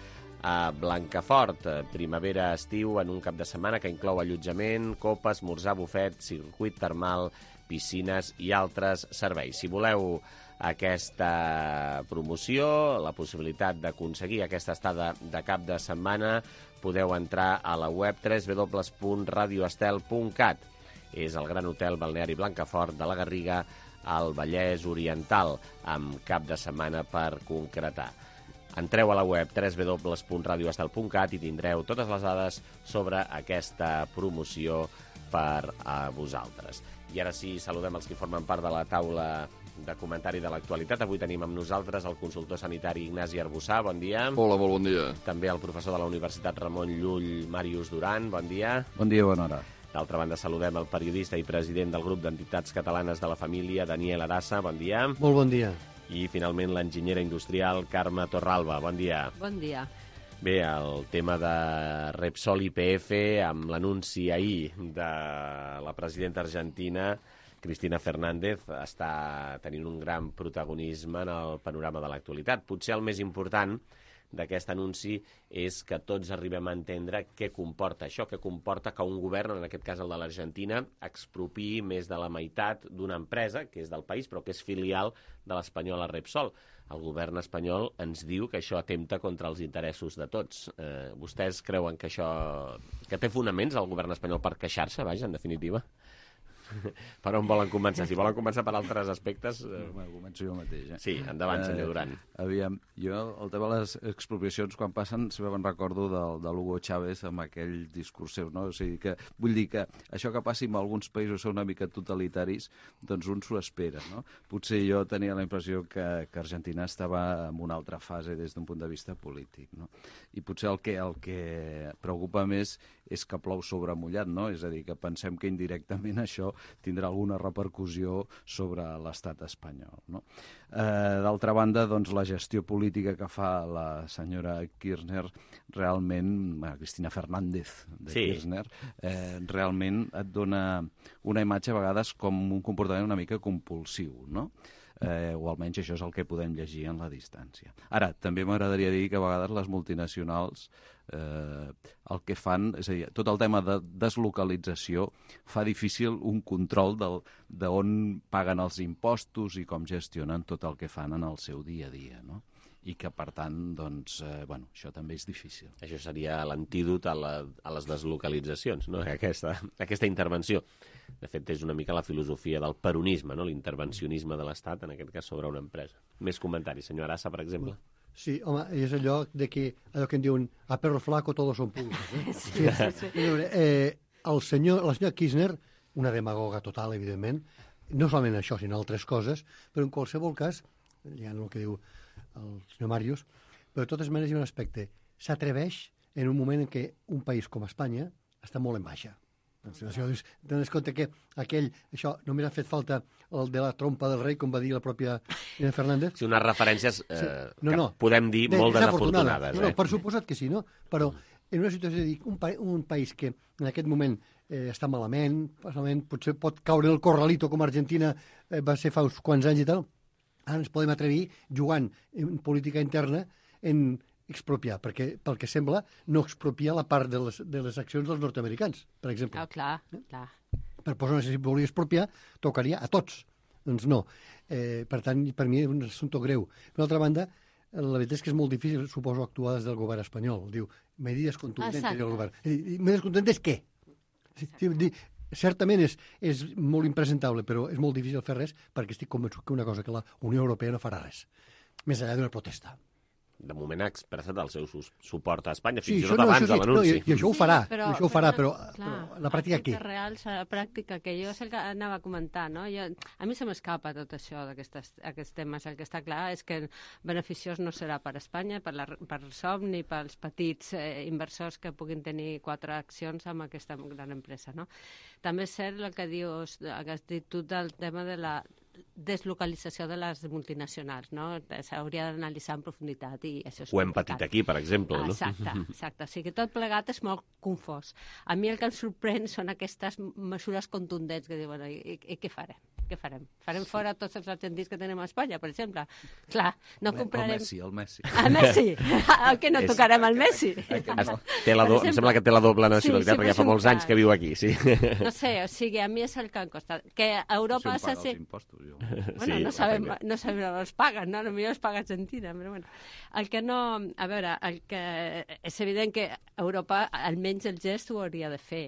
a Blancafort, primavera-estiu, en un cap de setmana que inclou allotjament, copa, esmorzar, bufet, circuit termal, piscines i altres serveis. Si voleu aquesta promoció, la possibilitat d'aconseguir aquesta estada de cap de setmana, podeu entrar a la web www.radioestel.cat. És el gran hotel balneari Blancafort de la Garriga, al Vallès Oriental, amb cap de setmana per concretar. Entreu a la web www.radioestel.cat i tindreu totes les dades sobre aquesta promoció per a vosaltres. I ara sí, saludem els que formen part de la taula de comentari de l'actualitat. Avui tenim amb nosaltres el consultor sanitari Ignasi Arbussà. Bon dia. Hola, molt bon dia. També el professor de la Universitat Ramon Llull, Màrius Duran. Bon dia. Bon dia, bona hora. D'altra banda, saludem el periodista i president del grup d'entitats catalanes de la família, Daniel Arassa. Bon dia. Molt bon dia. I, finalment, l'enginyera industrial Carme Torralba. Bon dia. Bon dia. Bé, el tema de Repsol IPF, amb l'anunci ahir de la presidenta argentina, Cristina Fernández, està tenint un gran protagonisme en el panorama de l'actualitat. Potser el més important d'aquest anunci és que tots arribem a entendre què comporta això, què comporta que un govern, en aquest cas el de l'Argentina, expropiï més de la meitat d'una empresa, que és del país, però que és filial de l'espanyola Repsol. El govern espanyol ens diu que això atempta contra els interessos de tots. Vostès creuen que això... que té fonaments el govern espanyol per queixar-se, vaja, en definitiva? Per on volen començar? Si volen començar per altres aspectes... Començo jo mateix. Sí, endavant, senyor Duran. Aviam, jo, el tema de les expropiacions, quan passen, sempre me'n recordo de l'Hugo Chávez amb aquell discurs seu, no? O sigui que, vull dir que això que passi en alguns països són una mica totalitaris, doncs un s'ho espera, no? Potser jo tenia la impressió que Argentina estava en una altra fase des d'un punt de vista polític, no? I potser el que preocupa més és que plou sobre mullat, no? És a dir, que pensem que indirectament això tindrà alguna repercussió sobre l'estat espanyol, no? D'altra banda, doncs, la gestió política que fa la senyora Kirchner realment, Cristina Fernández de Kirchner, realment et dona una imatge a vegades com un comportament una mica compulsiu, no? O almenys això és el que podem llegir en la distància. Ara, també m'agradaria dir que a vegades les multinacionals el que fan, és a dir, tot el tema de deslocalització fa difícil un control d'on paguen els impostos i com gestionen tot el que fan en el seu dia a dia, no? I que, per tant, doncs, això també és difícil. Això seria l'antídot a les deslocalitzacions, no? Aquesta intervenció. De fet, és una mica la filosofia del peronisme, no? L'intervencionisme de l'Estat, en aquest cas, sobre una empresa. Més comentaris, senyor Arassa, per exemple. Sí, home, és allò que en diuen a perro flaco todos son pulgas. Sí. La senyora Kirchner, una demagoga total, evidentment, no solament això, sinó altres coses, però en qualsevol cas, ja no el que diu el senyor Màrius, però de totes maneres hi ha un aspecte. S'atreveix en un moment en què un país com Espanya està molt en baixa. Tens compte que això només ha fet falta el de la trompa del rei, com va dir la pròpia Fernández. Sí, unes referències que podem dir molt desafortunades. No, per suposat que sí, no? Però en una situació de dir, un país que en aquest moment està malament, potser pot caure en el corralito com Argentina va ser fa uns quants anys i tal, ara ens podem atrevir jugant en política interna en expropiar, perquè pel que sembla no expropiar la part de les accions dels nord-americans, per exemple. Clar. Per posar, si volia expropiar, tocaria a tots. Doncs no. Per tant, per mi és un assumpte greu. Per l'altra banda, la veritat és que és molt difícil, suposo, actuar des del govern espanyol. Diu, medidas contundentes del govern. Medidas contundentes què? Certament és molt impresentable, però és molt difícil fer res perquè estic convençut que una cosa que la Unió Europea no farà res, més enllà d'una protesta. De moment ha expressat el seu suport a Espanya, fins i tot abans de l'anunci. I això ho farà, però la pràctica què? La pràctica que jo és el que anava a comentar, no? A mi se m'escapa tot això d'aquests temes. El que està clar és que beneficiós no serà per Espanya, per SOM, ni pels petits inversors que puguin tenir 4 accions amb aquesta gran empresa, no? També és cert el que dius, que has dit tu del tema de deslocalització de les multinacionals, no? S'hauria d'analitzar en profunditat i això és Ho hem patit aquí, per exemple, no? Exacte. O sigui, tot plegat és molt confós. A mi el que em sorprèn són aquestes mesures contundents que diuen, i què farem? Què farem? Farem fora tots els argentins que tenim a Espanya, per exemple? Clar, no comprarem... El Messi. El Messi? El que no tocarem al Messi? Em sembla que té la doble nacionalitat, perquè fa molts anys que viu aquí, sí. No sé, o sigui, a mi és el que em costa. Que a Europa... Si paga els impostos, jo. Bueno, no sabem on els paguen, no? Potser els paga Argentina, però bueno. El que no... A veure, és evident que Europa, almenys el gest ho hauria de fer.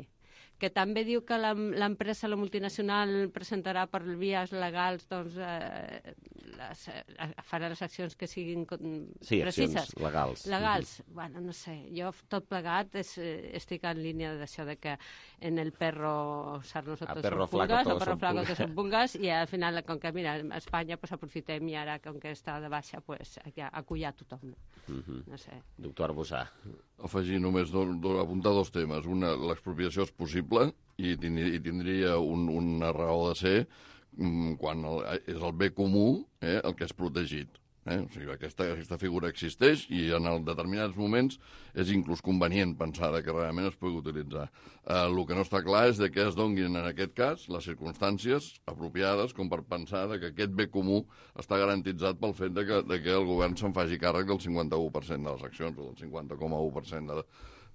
Que també diu que l'empresa, la multinacional, presentarà per vies legals, doncs, farà les accions que siguin precises. Accions legals. Legals. Bueno, no sé, jo tot plegat estic en línia d'això de que en el perro sarnoso todos son pulgas, el perro flaco todos son pulgas, i al final, com que, mira, a Espanya pues, aprofitem i ara, com que està de baixa, pues, acollar tothom. No sé. Doctor Arbussà. Afegir només apuntar dos temes. Una, l'expropiació és possible i tindria una raó de ser quan és el bé comú el que és protegit. O sigui, aquesta figura existeix i en determinats moments és inclús convenient pensar que realment es pugui utilitzar. El que no està clar és que es donguin en aquest cas les circumstàncies apropiades com per pensar que aquest bé comú està garantitzat pel fet de que el govern se'n faci càrrec del 51% de les accions o del 50,1%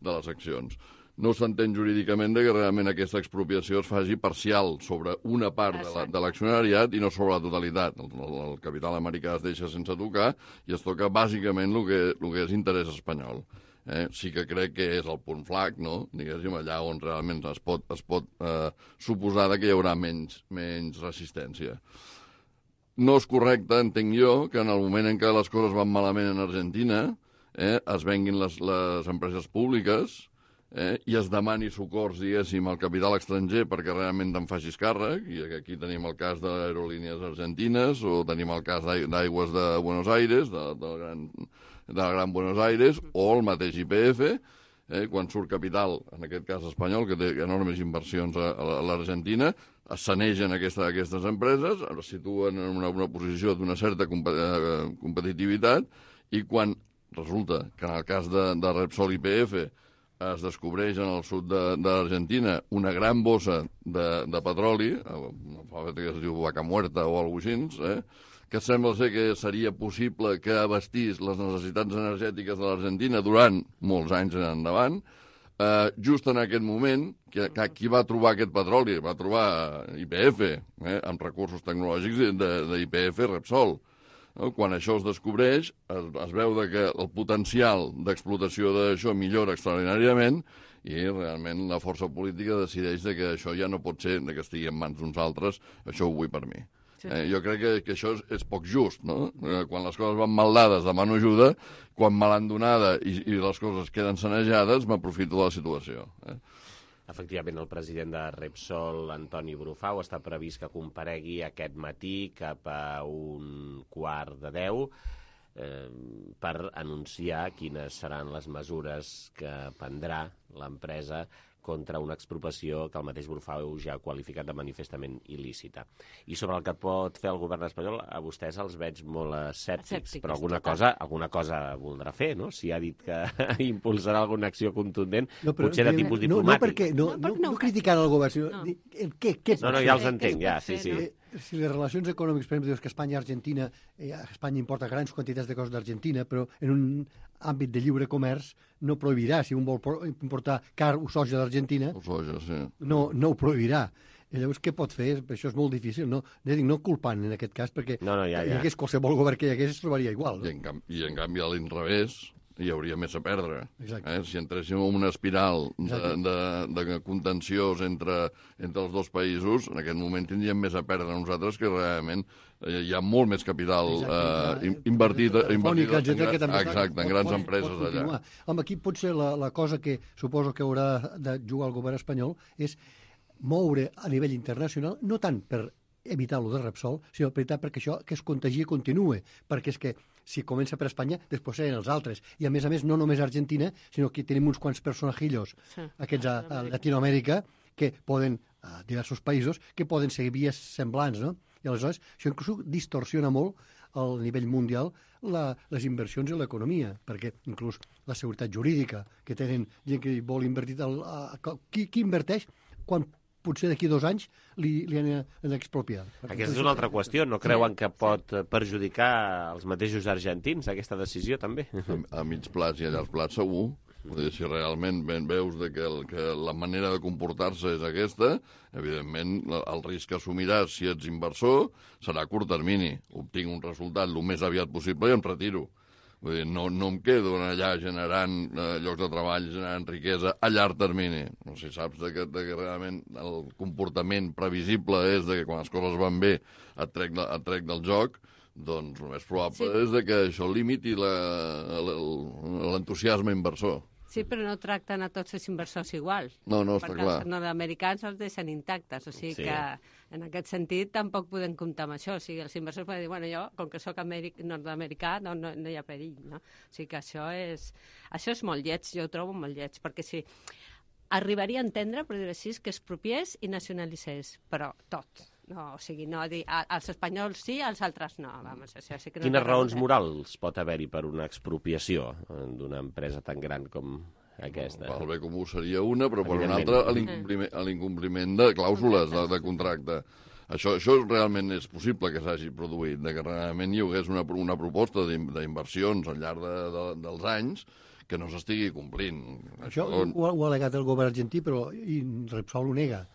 de les accions. No s'entén jurídicament que realment aquesta expropiació es faci parcial sobre una part de l'accionariat i no sobre la totalitat. El capital americà es deixa sense tocar i es toca bàsicament el que és interès espanyol. Sí que crec que és el punt flac, no? Diguéssim, allà on realment es pot suposar que hi haurà menys resistència. No és correcte, entenc jo, que en el moment en què les coses van malament en Argentina es venguin les empreses públiques i es demani socors, diguéssim, al capital estranger perquè realment te'n facis càrrec, i aquí tenim el cas d'Aerolíneas Argentines o tenim el cas d'Aigües de Buenos Aires, de Gran Buenos Aires, o el mateix YPF, quan surt capital, en aquest cas espanyol, que té enormes inversions a l'Argentina, es sanegen aquestes empreses, es situen en una posició d'una certa competitivitat, i quan resulta que en el cas de Repsol YPF es descobreix en el sud de l'Argentina una gran bossa de petroli, que es diu Vaca Muerta o alguna cosa així, que sembla ser que seria possible que abastís les necessitats energètiques de l'Argentina durant molts anys en endavant. Just en aquest moment, qui va trobar aquest petroli? Va trobar YPF, amb recursos tecnològics d'YPF Repsol. Quan això es descobreix, es veu que el potencial d'explotació d'això millora extraordinàriament i realment la força política decideix que això ja no pot ser que estigui en mans d'uns altres, això ho vull per mi. Jo crec que això és poc just, no? Quan les coses van mal dades demano ajuda, quan mal endonada i les coses queden sanejades m'aprofito de la situació. Efectivament, el president de Repsol, Antoni Brufau, està previst que comparegui aquest matí cap a 9:15 per anunciar quines seran les mesures que prendrà l'empresa contra una expropiació que el mateix Brufau ja ha qualificat de manifestament il·lícita. I sobre el que pot fer el govern espanyol, a vostès els veig molt escèptics, però alguna cosa voldrà fer, no? Si ha dit que impulsarà alguna acció contundent, potser de tipus diplomàtic. No criticant el govern, sinó què... No, ja els entenc, ja, sí. Si les relacions econòmiques, per exemple, dius que Espanya i Argentina, Espanya importa grans quantitats de coses d'Argentina, però en un àmbit de lliure comerç no prohibirà, si un vol importar car o soja d'Argentina, no ho prohibirà. I llavors què pot fer? Per això és molt difícil, no culpant en aquest cas, perquè hi hagués qualsevol govern que hi hagués es trobaria igual. I en canvi a l'inrevés hi hauria més a perdre. Si entréssim en una espiral de contenciós entre els dos països, en aquest moment tindríem més a perdre nosaltres, que realment hi ha molt més capital invertit en grans empreses allà. Home, aquí potser la cosa que suposo que haurà de jugar el govern espanyol és moure a nivell internacional, no tant per evitar-lo de Repsol, sinó perquè això que es contagia continue, perquè és que si comença per Espanya, després seran els altres. I a més, no només Argentina, sinó que tenim uns quants personajillos, aquests a Latinoamèrica, que poden, a diversos països, que poden seguir vies semblants, no? I aleshores això inclús distorsiona molt al nivell mundial les inversions en l'economia, perquè inclús la seguretat jurídica que tenen gent que vol invertir... Qui inverteix quan potser d'aquí 2 anys li han expropiat? Aquesta és una altra qüestió. No creuen que pot perjudicar els mateixos argentins, aquesta decisió, també? A mig plaç i a llarg plaç, segur. Si realment veus que la manera de comportar-se és aquesta, evidentment el risc que assumiràs si ets inversor serà a curt termini. Obtinc un resultat el més aviat possible i em retiro. Vull dir, no em quedo allà generant llocs de treball, generant riquesa a llarg termini. No sé si saps que realment el comportament previsible és que quan les coses van bé et trec del joc, doncs el més probable és que això limiti l'entusiasme inversor. Sí, però no tracten a tots els inversors igual. No, està clar. Perquè els nord-americans els deixen intactes, o sigui que en aquest sentit tampoc podem comptar amb això. O sigui, els inversors poden dir, bueno, jo, com que sóc nord-americà, no hi ha perill, no? O sigui que això és molt lleig, jo ho trobo molt lleig, perquè si arribaria a entendre, per dir-ho així, que expropiés i nacionalitzés, però tot. No, o sigui, no dir als espanyols sí, als altres no. Vamos, això sí que no. Quines raons morals pot haver-hi per una expropiació d'una empresa tan gran com aquesta? El bé comú seria una, però per una altra l'incompliment de clàusules de contracte. Això realment és possible que s'hagi produït, que realment hi hagués una proposta d'inversions al llarg dels anys que no s'estigui complint. Això ho ha al·legat el govern argentí, però Repsol ho nega.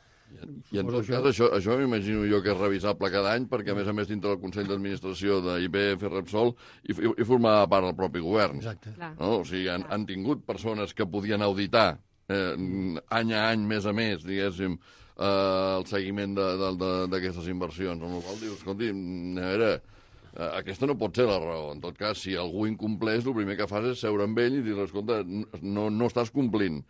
I en tot cas, això m'imagino jo que és revisable cada any, perquè a més dintre del Consell d'Administració d'IBF Repsol i formava part del propi govern. Exacte. No? O sigui, han tingut persones que podien auditar any a any, més a més, diguéssim, el seguiment d'aquestes inversions. Amb la qual dius, escolti, a veure, aquesta no pot ser la raó. En tot cas, si algú incompleix, el primer que fas és seure amb ell i dir, escolta, no estàs complint.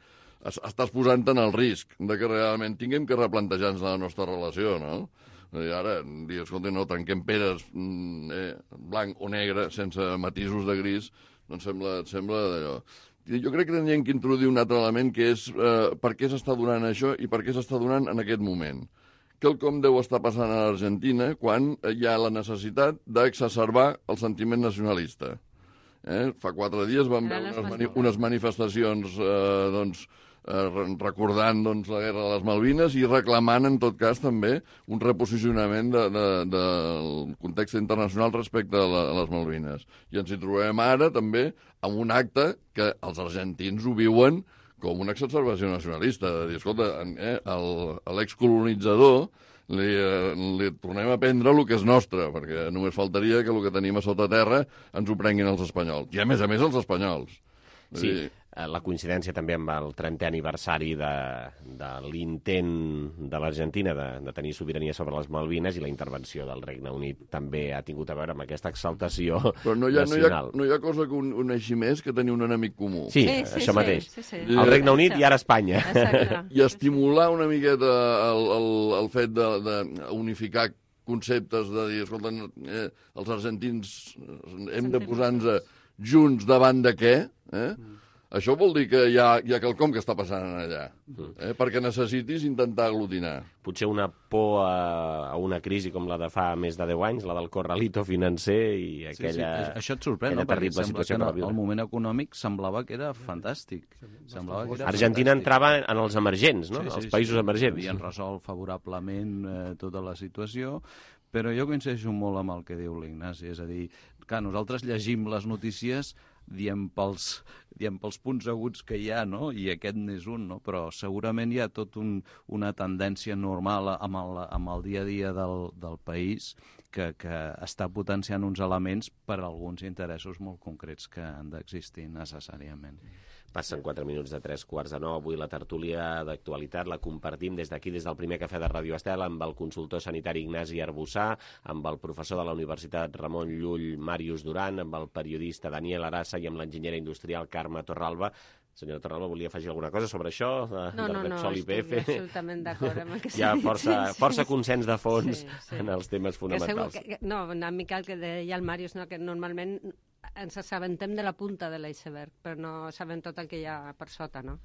Estàs posant-te'n el risc de que realment tinguem que replantejar-nos la nostra relació, no? I ara, dir, escolta, no trenquem peres blanc o negre, sense matisos de gris, doncs sembla d'allò. Jo crec que hauríem que introduir un altre element, que és per què s'està donant això i per què s'està donant en aquest moment. Quelcom deu estar passant a l'Argentina quan hi ha la necessitat d'exacerbar el sentiment nacionalista. Fa 4 dies vam veure unes manifestacions recordant la guerra de les Malvines i reclamant, en tot cas, també un reposicionament del context internacional respecte a les Malvines. I ens hi trobem ara, també, amb un acte que els argentins ho viuen com una exacerbació nacionalista. De dir, escolta, a l'excolonitzador li tornem a prendre el que és nostre, perquè només faltaria que el que tenim a sota terra ens ho prenguin els espanyols. I, a més, els espanyols. Sí, la coincidència també amb el 30è aniversari de l'intent de l'Argentina de tenir sobirania sobre les Malvines, i la intervenció del Regne Unit també ha tingut a veure amb aquesta exaltació nacional. No hi ha cosa que uneixi més que tenir un enemic comú. Sí, això mateix. Sí. El Regne Unit i ara Espanya. I estimular una miqueta el fet d'unificar conceptes, de dir, escolta, els argentins hem de posar-nos junts davant de què? Això vol dir que hi ha quelcom que està passant allà, perquè necessitis intentar aglutinar. Potser una por a una crisi com la de fa més de 10 anys, la del corralito financer i aquella... Sí. Això et sorprèn, no? Perquè sembla que el moment econòmic semblava que era fantàstic. Argentina entrava en els emergents, no? Els països emergents. Havien resolt favorablement tota la situació, però jo coincideixo molt amb el que diu l'Ignasi, és a dir, que nosaltres llegim les notícies diem pels punts aguts que hi ha, no? I aquest n'és un, no? Però segurament hi ha tot una tendència normal amb el dia a dia del país que està potenciant uns elements per a alguns interessos molt concrets que han d'existir necessàriament. Passen 4 minuts de 3:15. Avui la tertúlia d'actualitat la compartim des d'aquí, des del primer cafè de Ràdio Estel, amb el consultor sanitari Ignasi Arbussà, amb el professor de la Universitat Ramon Llull, Màrius Duran, amb el periodista Daniel Arassa i amb l'enginyera industrial Carme Torralba. Senyora Torralba, volia afegir alguna cosa sobre això? No, estic absolutament d'acord amb el que s'ha dit. Hi ha força consens de fons en els temes fonamentals. No, una mica el que deia el Màrius, que normalment ens assabentem de la punta de l'iceberg, però no sabem tot el que hi ha per sota, no?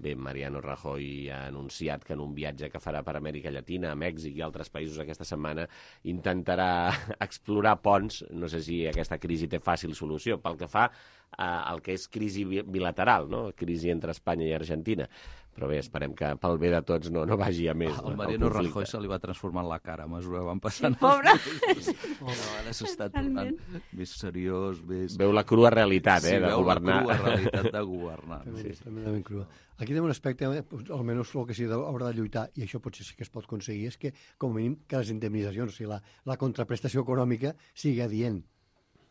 Bé, Mariano Rajoy ha anunciat que en un viatge que farà per Amèrica Llatina, a Mèxic i altres països aquesta setmana intentarà explorar ponts. No sé si aquesta crisi té fàcil solució. Pel que fa al que és crisi bilateral, no? Crisi entre Espanya i Argentina. Però bé, esperem que pel bé de tots no vagi a més. El Mariano Rajoy se li va transformar en la cara a mesura que van passant. Sí, pobre! Ara s'està tornant més seriós, més... Veu la crua realitat, de governar. Sí, veu la crua realitat de governar. Tremendament crua. Aquí tenim un aspecte, almenys el que sí haurà de lluitar, i això potser sí que es pot aconseguir, és que, com a mínim, que les indemnitzacions, o sigui, la contraprestació econòmica sigui adient.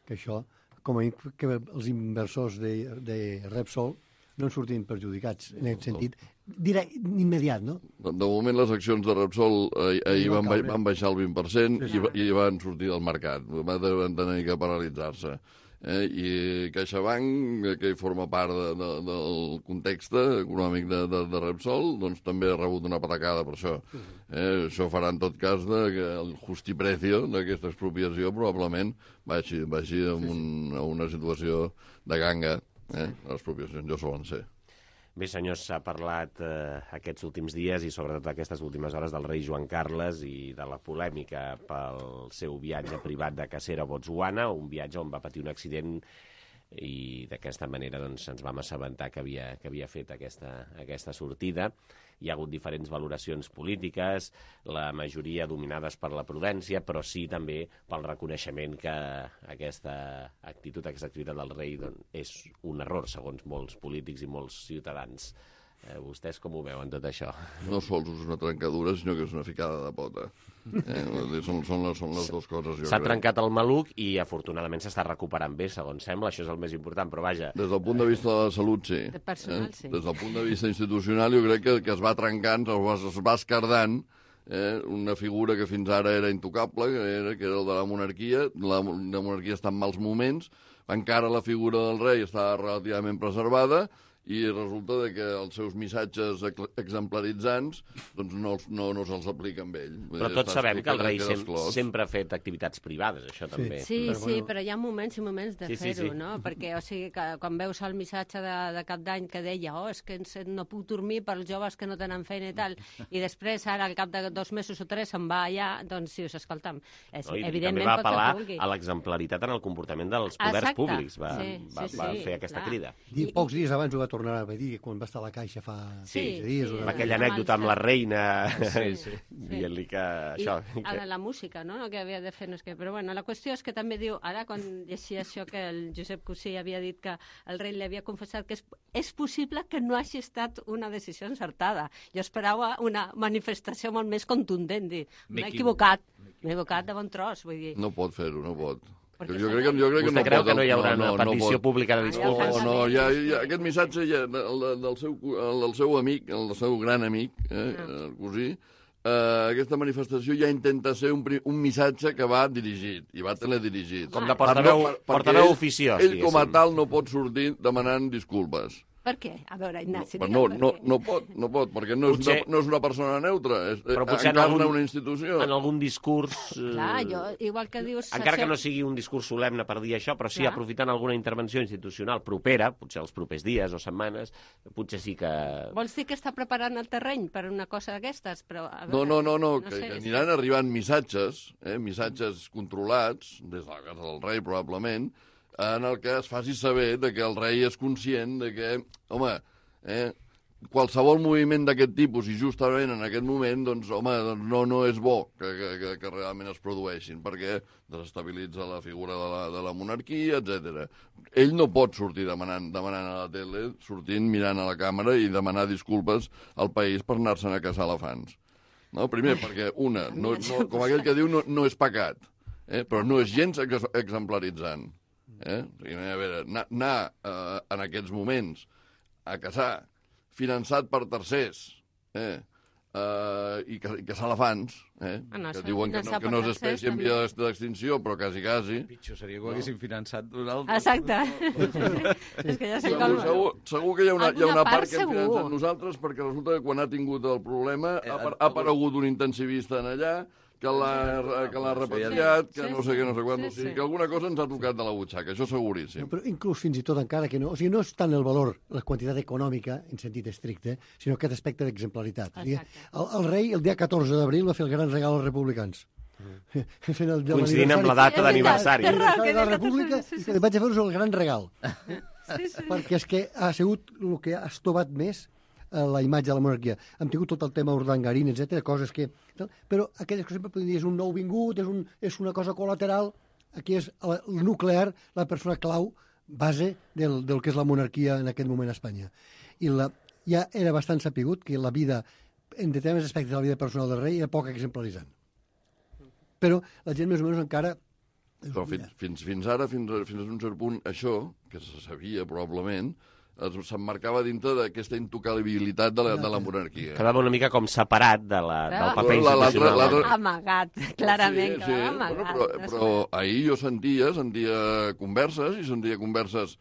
Que això, com a mínim, que els inversors de Repsol no en sortin perjudicats, en aquest sentit, immediat, no? De moment, les accions de Repsol ahir van baixar el 20% i van sortir del mercat. Van tenir que paralitzar-se. I CaixaBank, que forma part del context econòmic de Repsol, doncs també ha rebut una patacada per això. Això farà, en tot cas, que el justiprecio d'aquesta expropiació probablement baixi a una situació de ganga. Les expropiacions ja solen ser. Bé, senyors, s'ha parlat aquests últims dies i sobretot aquestes últimes hores del rei Joan Carles i de la polèmica pel seu viatge privat de cacera a Botswana, un viatge on va patir un accident i d'aquesta manera doncs, ens vam assabentar que havia fet aquesta sortida. Hi ha hagut diferents valoracions polítiques, la majoria dominades per la prudència, però sí també pel reconeixement que aquesta activitat del rei doncs, és un error, segons molts polítics i molts ciutadans. Vostès com ho veuen, tot això? No sols és una trencadura, sinó que és una ficada de pota. Són les dues coses, jo crec. S'ha trencat el maluc i, afortunadament, s'està recuperant bé, segons sembla. Això és el més important, però vaja... Des del punt de vista de la salut, sí. De personal, sí. Des del punt de vista institucional, jo crec que es va trencant, es va escardant una figura que fins ara era intocable, que era el de la monarquia. La monarquia està en mals moments, encara la figura del rei està relativament preservada, i resulta que els seus missatges exemplaritzants doncs no se'ls aplica amb ell. Però tots sabem que el rei sempre ha fet activitats privades, això també. Sí, però hi ha moments i moments de fer-ho, no? Perquè, o sigui, que quan veus el missatge de cap d'any que deia és que no puc dormir pels joves que no tenen feina i tal, i després ara al cap de 2 mesos o 3 se'n va allà, doncs sí, evidentment també va apel·lar a l'exemplaritat en el comportament dels poders públics, va fer aquesta crida. Pocs dies abans ho va tornar a dir quan va estar a la Caixa fa 15 dies. Aquella anècdota amb la reina dient-li que això... La música, no? Que havia de fer, no és que... Però bueno, la qüestió és que també diu, ara quan llegia això que el Josep Cosí havia dit que el rei li havia confessat que és possible que no hagi estat una decisió encertada. Jo esperava una manifestació molt més contundent, dir, m'he equivocat de bon tros, vull dir. No pot fer-ho, no pot. Jo crec que no creu que no hi haurà una petició pública de disculpes? No, aquest missatge del seu amic, el seu gran amic, el cosí, aquesta manifestació ja intenta ser un missatge que va dirigit, i va teledirigit. Com de portaveu oficiós. Ell com a tal no pot sortir demanant disculpes. Per què? A veure, Ignasi... No pot, perquè no és una persona neutra, encarna una institució. En algun discurs... Clar, igual que dius... Encara que no sigui un discurs solemne per dir això, però sí aprofitant alguna intervenció institucional propera, potser els propers dies o setmanes, potser sí que... Vols dir que està preparant el terreny per una cosa d'aquestes? No, que aniran arribant missatges controlats, des de la casa del rei probablement, en el que es faci saber que el rei és conscient de que, home, qualsevol moviment d'aquest tipus, i justament en aquest moment, doncs, home, no és bo que realment es produeixin, perquè desestabilitza la figura de la monarquia, etc. Ell no pot sortir demanant a la tele, sortint, mirant a la càmera i demanar disculpes al país per anar-se'n a caçar elefants. No? Primer, perquè com aquell que diu, no és pecat, però no és gens exemplaritzant. A veure, anar en aquests moments a caçar finançat per tercers i caçar elefants, que diuen que no és espècie en via d'extinció, però quasi. Pitjor seria que ho haguessin finançat d'un altre. Exacte. És que ja sé com... Segur que hi ha una part que hem finançat nosaltres, perquè resulta que quan ha tingut el problema ha aparegut un intensivista en allà, que l'ha repatriat, que no sé què, no sé quant. O sigui, que alguna cosa ens ha tocat de la butxaca, això seguríssim. Però inclús fins i tot encara que no... O sigui, no és tant el valor, la quantitat econòmica, en sentit estricte, sinó aquest aspecte d'exemplaritat. El rei, el dia 14 d'abril, va fer el gran regal als republicans. Coincidint amb la data d'aniversari. De la República, i vaig a fer-vos el gran regal. Perquè és que ha sigut el que ha estovat més la imatge de la monarquia. Hem tingut tot el tema Urdangarín, etc, coses que... Però aquelles que sempre podem dir és un nou vingut, és una cosa col·lateral. Aquí és el nuclear, la persona clau, base del que és la monarquia en aquest moment a Espanya. I ja era bastant sapigut que la vida, en determinats aspectes de la vida personal del rei, era poc exemplaritzant. Però la gent més o menys encara... Però fins ara, fins a un cert punt, això, que se sabia probablement, s'emmarcava dintre d'aquesta intocabilitat de la monarquia. Quedava una mica com separat del paper institucional. Amagat, clarament. Sí. Però ahir jo sentia converses, i sentia converses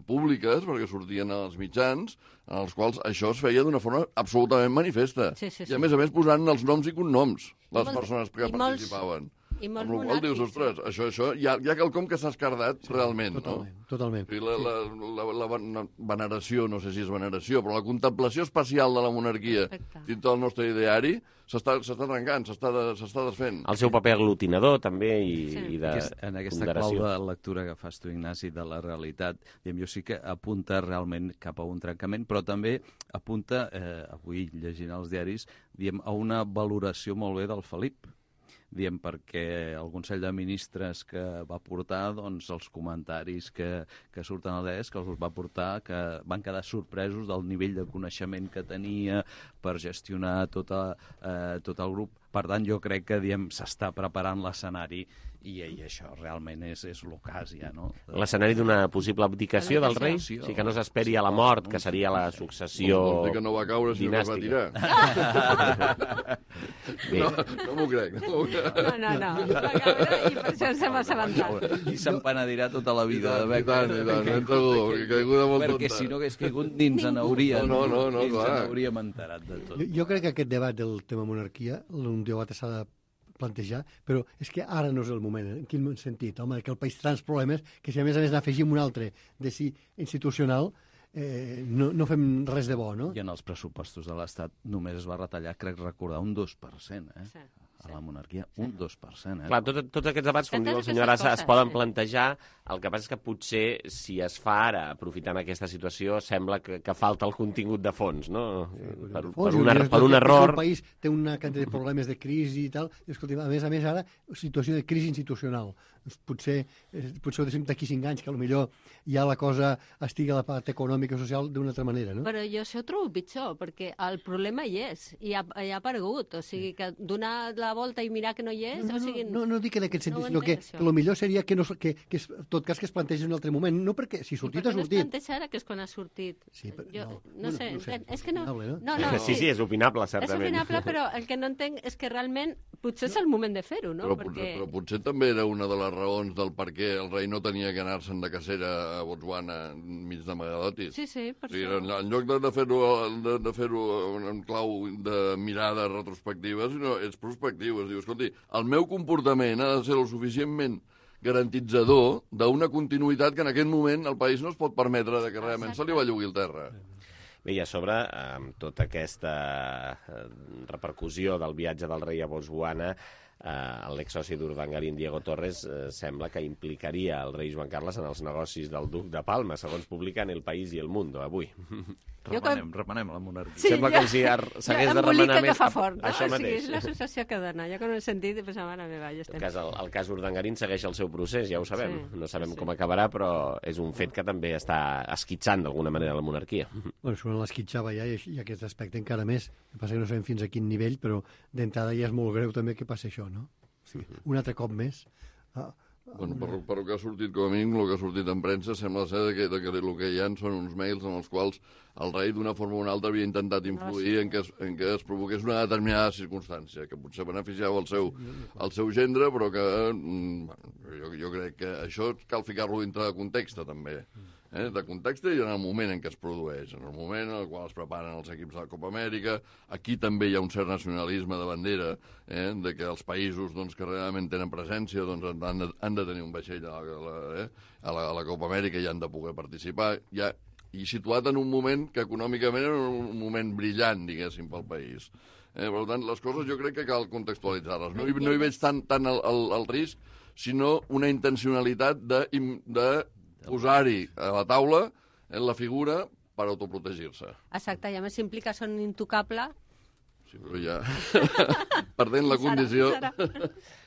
públiques, perquè sortien als mitjans, en els quals això es feia d'una forma absolutament manifesta. I a més posant els noms i cognoms, les persones que participaven. Amb la qual dius, ostres, això hi ha quelcom que s'ha escardat realment, no? Totalment. La veneració, no sé si és veneració, però la contemplació especial de la monarquia dins del nostre ideari s'està trencant, s'està desfent. El seu paper aglutinador, també, i de en aquesta clau de lectura que fas tu, Ignasi, de la realitat, jo sí que apunta realment cap a un trencament, però també apunta, avui llegint els diaris, a una valoració molt bé del Felip, perquè el Consell de Ministres que va portar, doncs els comentaris que surten als diaris, que els va portar, que van quedar sorpresos del nivell de coneixement que tenia per gestionar tot el grup. Per tant, jo crec que s'està preparant l'escenari i això realment és l'ocàs ja, no? L'escenari d'una possible abdicació del rei? Sí, que no s'esperi a la mort, que seria la successió dinàstica. Que no va caure si no es va tirar. No m'ho crec. No. Va caure i per això se va assabentar. I se'n penedirà tota la vida d'haver caigut. Perquè si no hagués caigut ni ens n'hauríem enterat de tot. Jo crec que aquest debat del tema monarquia, un debat s'ha de plantejar, però és que ara no és el moment. En quin sentit? Home, que el país té tants problemes que si a més n'afegim un altre de si institucional, no fem res de bo, no? I en els pressupostos de l'Estat només es va retallar, crec recordar, un 2%, a la monarquia, un 2%. Clar, tots aquests debats, com diu el senyor Arassa, es poden plantejar. El que passa és que potser, si es fa ara, aprofitant aquesta situació, sembla que falta el contingut de fons, no? Per un error... El país té una quantitat de problemes de crisi i tal, i escolti, a més ara, situació de crisi institucional. Potser ho deixem d'aquí 5 anys, que potser ja la cosa estigui a la part econòmica i social d'una altra manera, no? Però jo això ho trobo pitjor, perquè el problema hi és, i ha aparegut. O sigui, que donar la volta i mirar que no hi és... No dic en aquest sentit, sinó que el millor seria que en tot cas que es plantegi en un altre moment. No perquè si sortit ha sortit. I per què no es planteja ara, que és quan ha sortit? Sí, però no sé, és que no... Sí, és opinable, certament. És opinable, però el que no entenc és que realment potser és el moment de fer-ho, no? Però potser també era una de les raons del per què el rei no tenia que anar-se'n de cacera a Botswana enmig de Magadotis. Sí, per això. En lloc de fer-ho en clau de mirada retrospectiva, sinó és prospectiu. Es diu, escolti, el meu comportament ha de ser el suficientment garantitzador d'una continuïtat que en aquest moment el país no es pot permetre que realment se li bellugui el terra. Bé, i a sobre, amb tota aquesta repercussió del viatge del rei a Botswana, l'exsoci d'Urdangarín, Diego Torres, sembla que implicaria el rei Joan Carles en els negocis del duc de Palma, segons publiquen El País i El Mundo avui. Remenem la monarquia. Sí, sembla com si s'hagués de remenar més això mateix. És l'associació que dona. Jo que no he sentit, pensava, mare meva, ja estem. El cas Urdangarín segueix el seu procés, ja ho sabem. No sabem com acabarà, però és un fet que també està esquitxant d'alguna manera la monarquia. Bueno, sobre l'esquitxava ja, i aquest aspecte encara més. El que passa que no sabem fins a quin nivell, però d'entrada ja és molt greu també que passi això, no? Sí. Un altre cop més. Bueno, per el que ha sortit, com a mínim, el que ha sortit en premsa, sembla ser que el que hi ha són uns mails en els quals el rei, d'una forma o una altra, havia intentat influir en què es provoqués una determinada circumstància, que potser beneficiava el seu gendre, però que jo crec que això cal ficar-lo dintre de context, també. de context i en el moment en què es produeix, en el moment en el qual es preparen els equips de la Copa Amèrica. Aquí també hi ha un cert nacionalisme de bandera, de que els països que realment tenen presència han de tenir un vaixell a la Copa Amèrica i han de poder participar. I situat en un moment que econòmicament era un moment brillant, diguéssim, pel país. Per tant, les coses jo crec que cal contextualitzar-les. No hi veig tant el risc, sinó una intencionalitat de posar-hi a la taula la figura per autoprotegir-se. Exacte, i a més implica ser un intocable. Sí, però ja perdent la condició...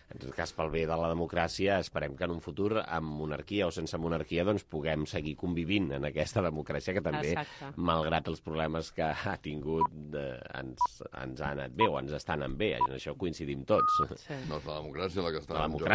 En tot cas, pel bé de la democràcia, esperem que en un futur, amb monarquia o sense monarquia, doncs puguem seguir convivint en aquesta democràcia que també, malgrat els problemes que ha tingut, ens ha anat bé o ens està anant bé. En això coincidim tots. No és la democràcia la que està en joc.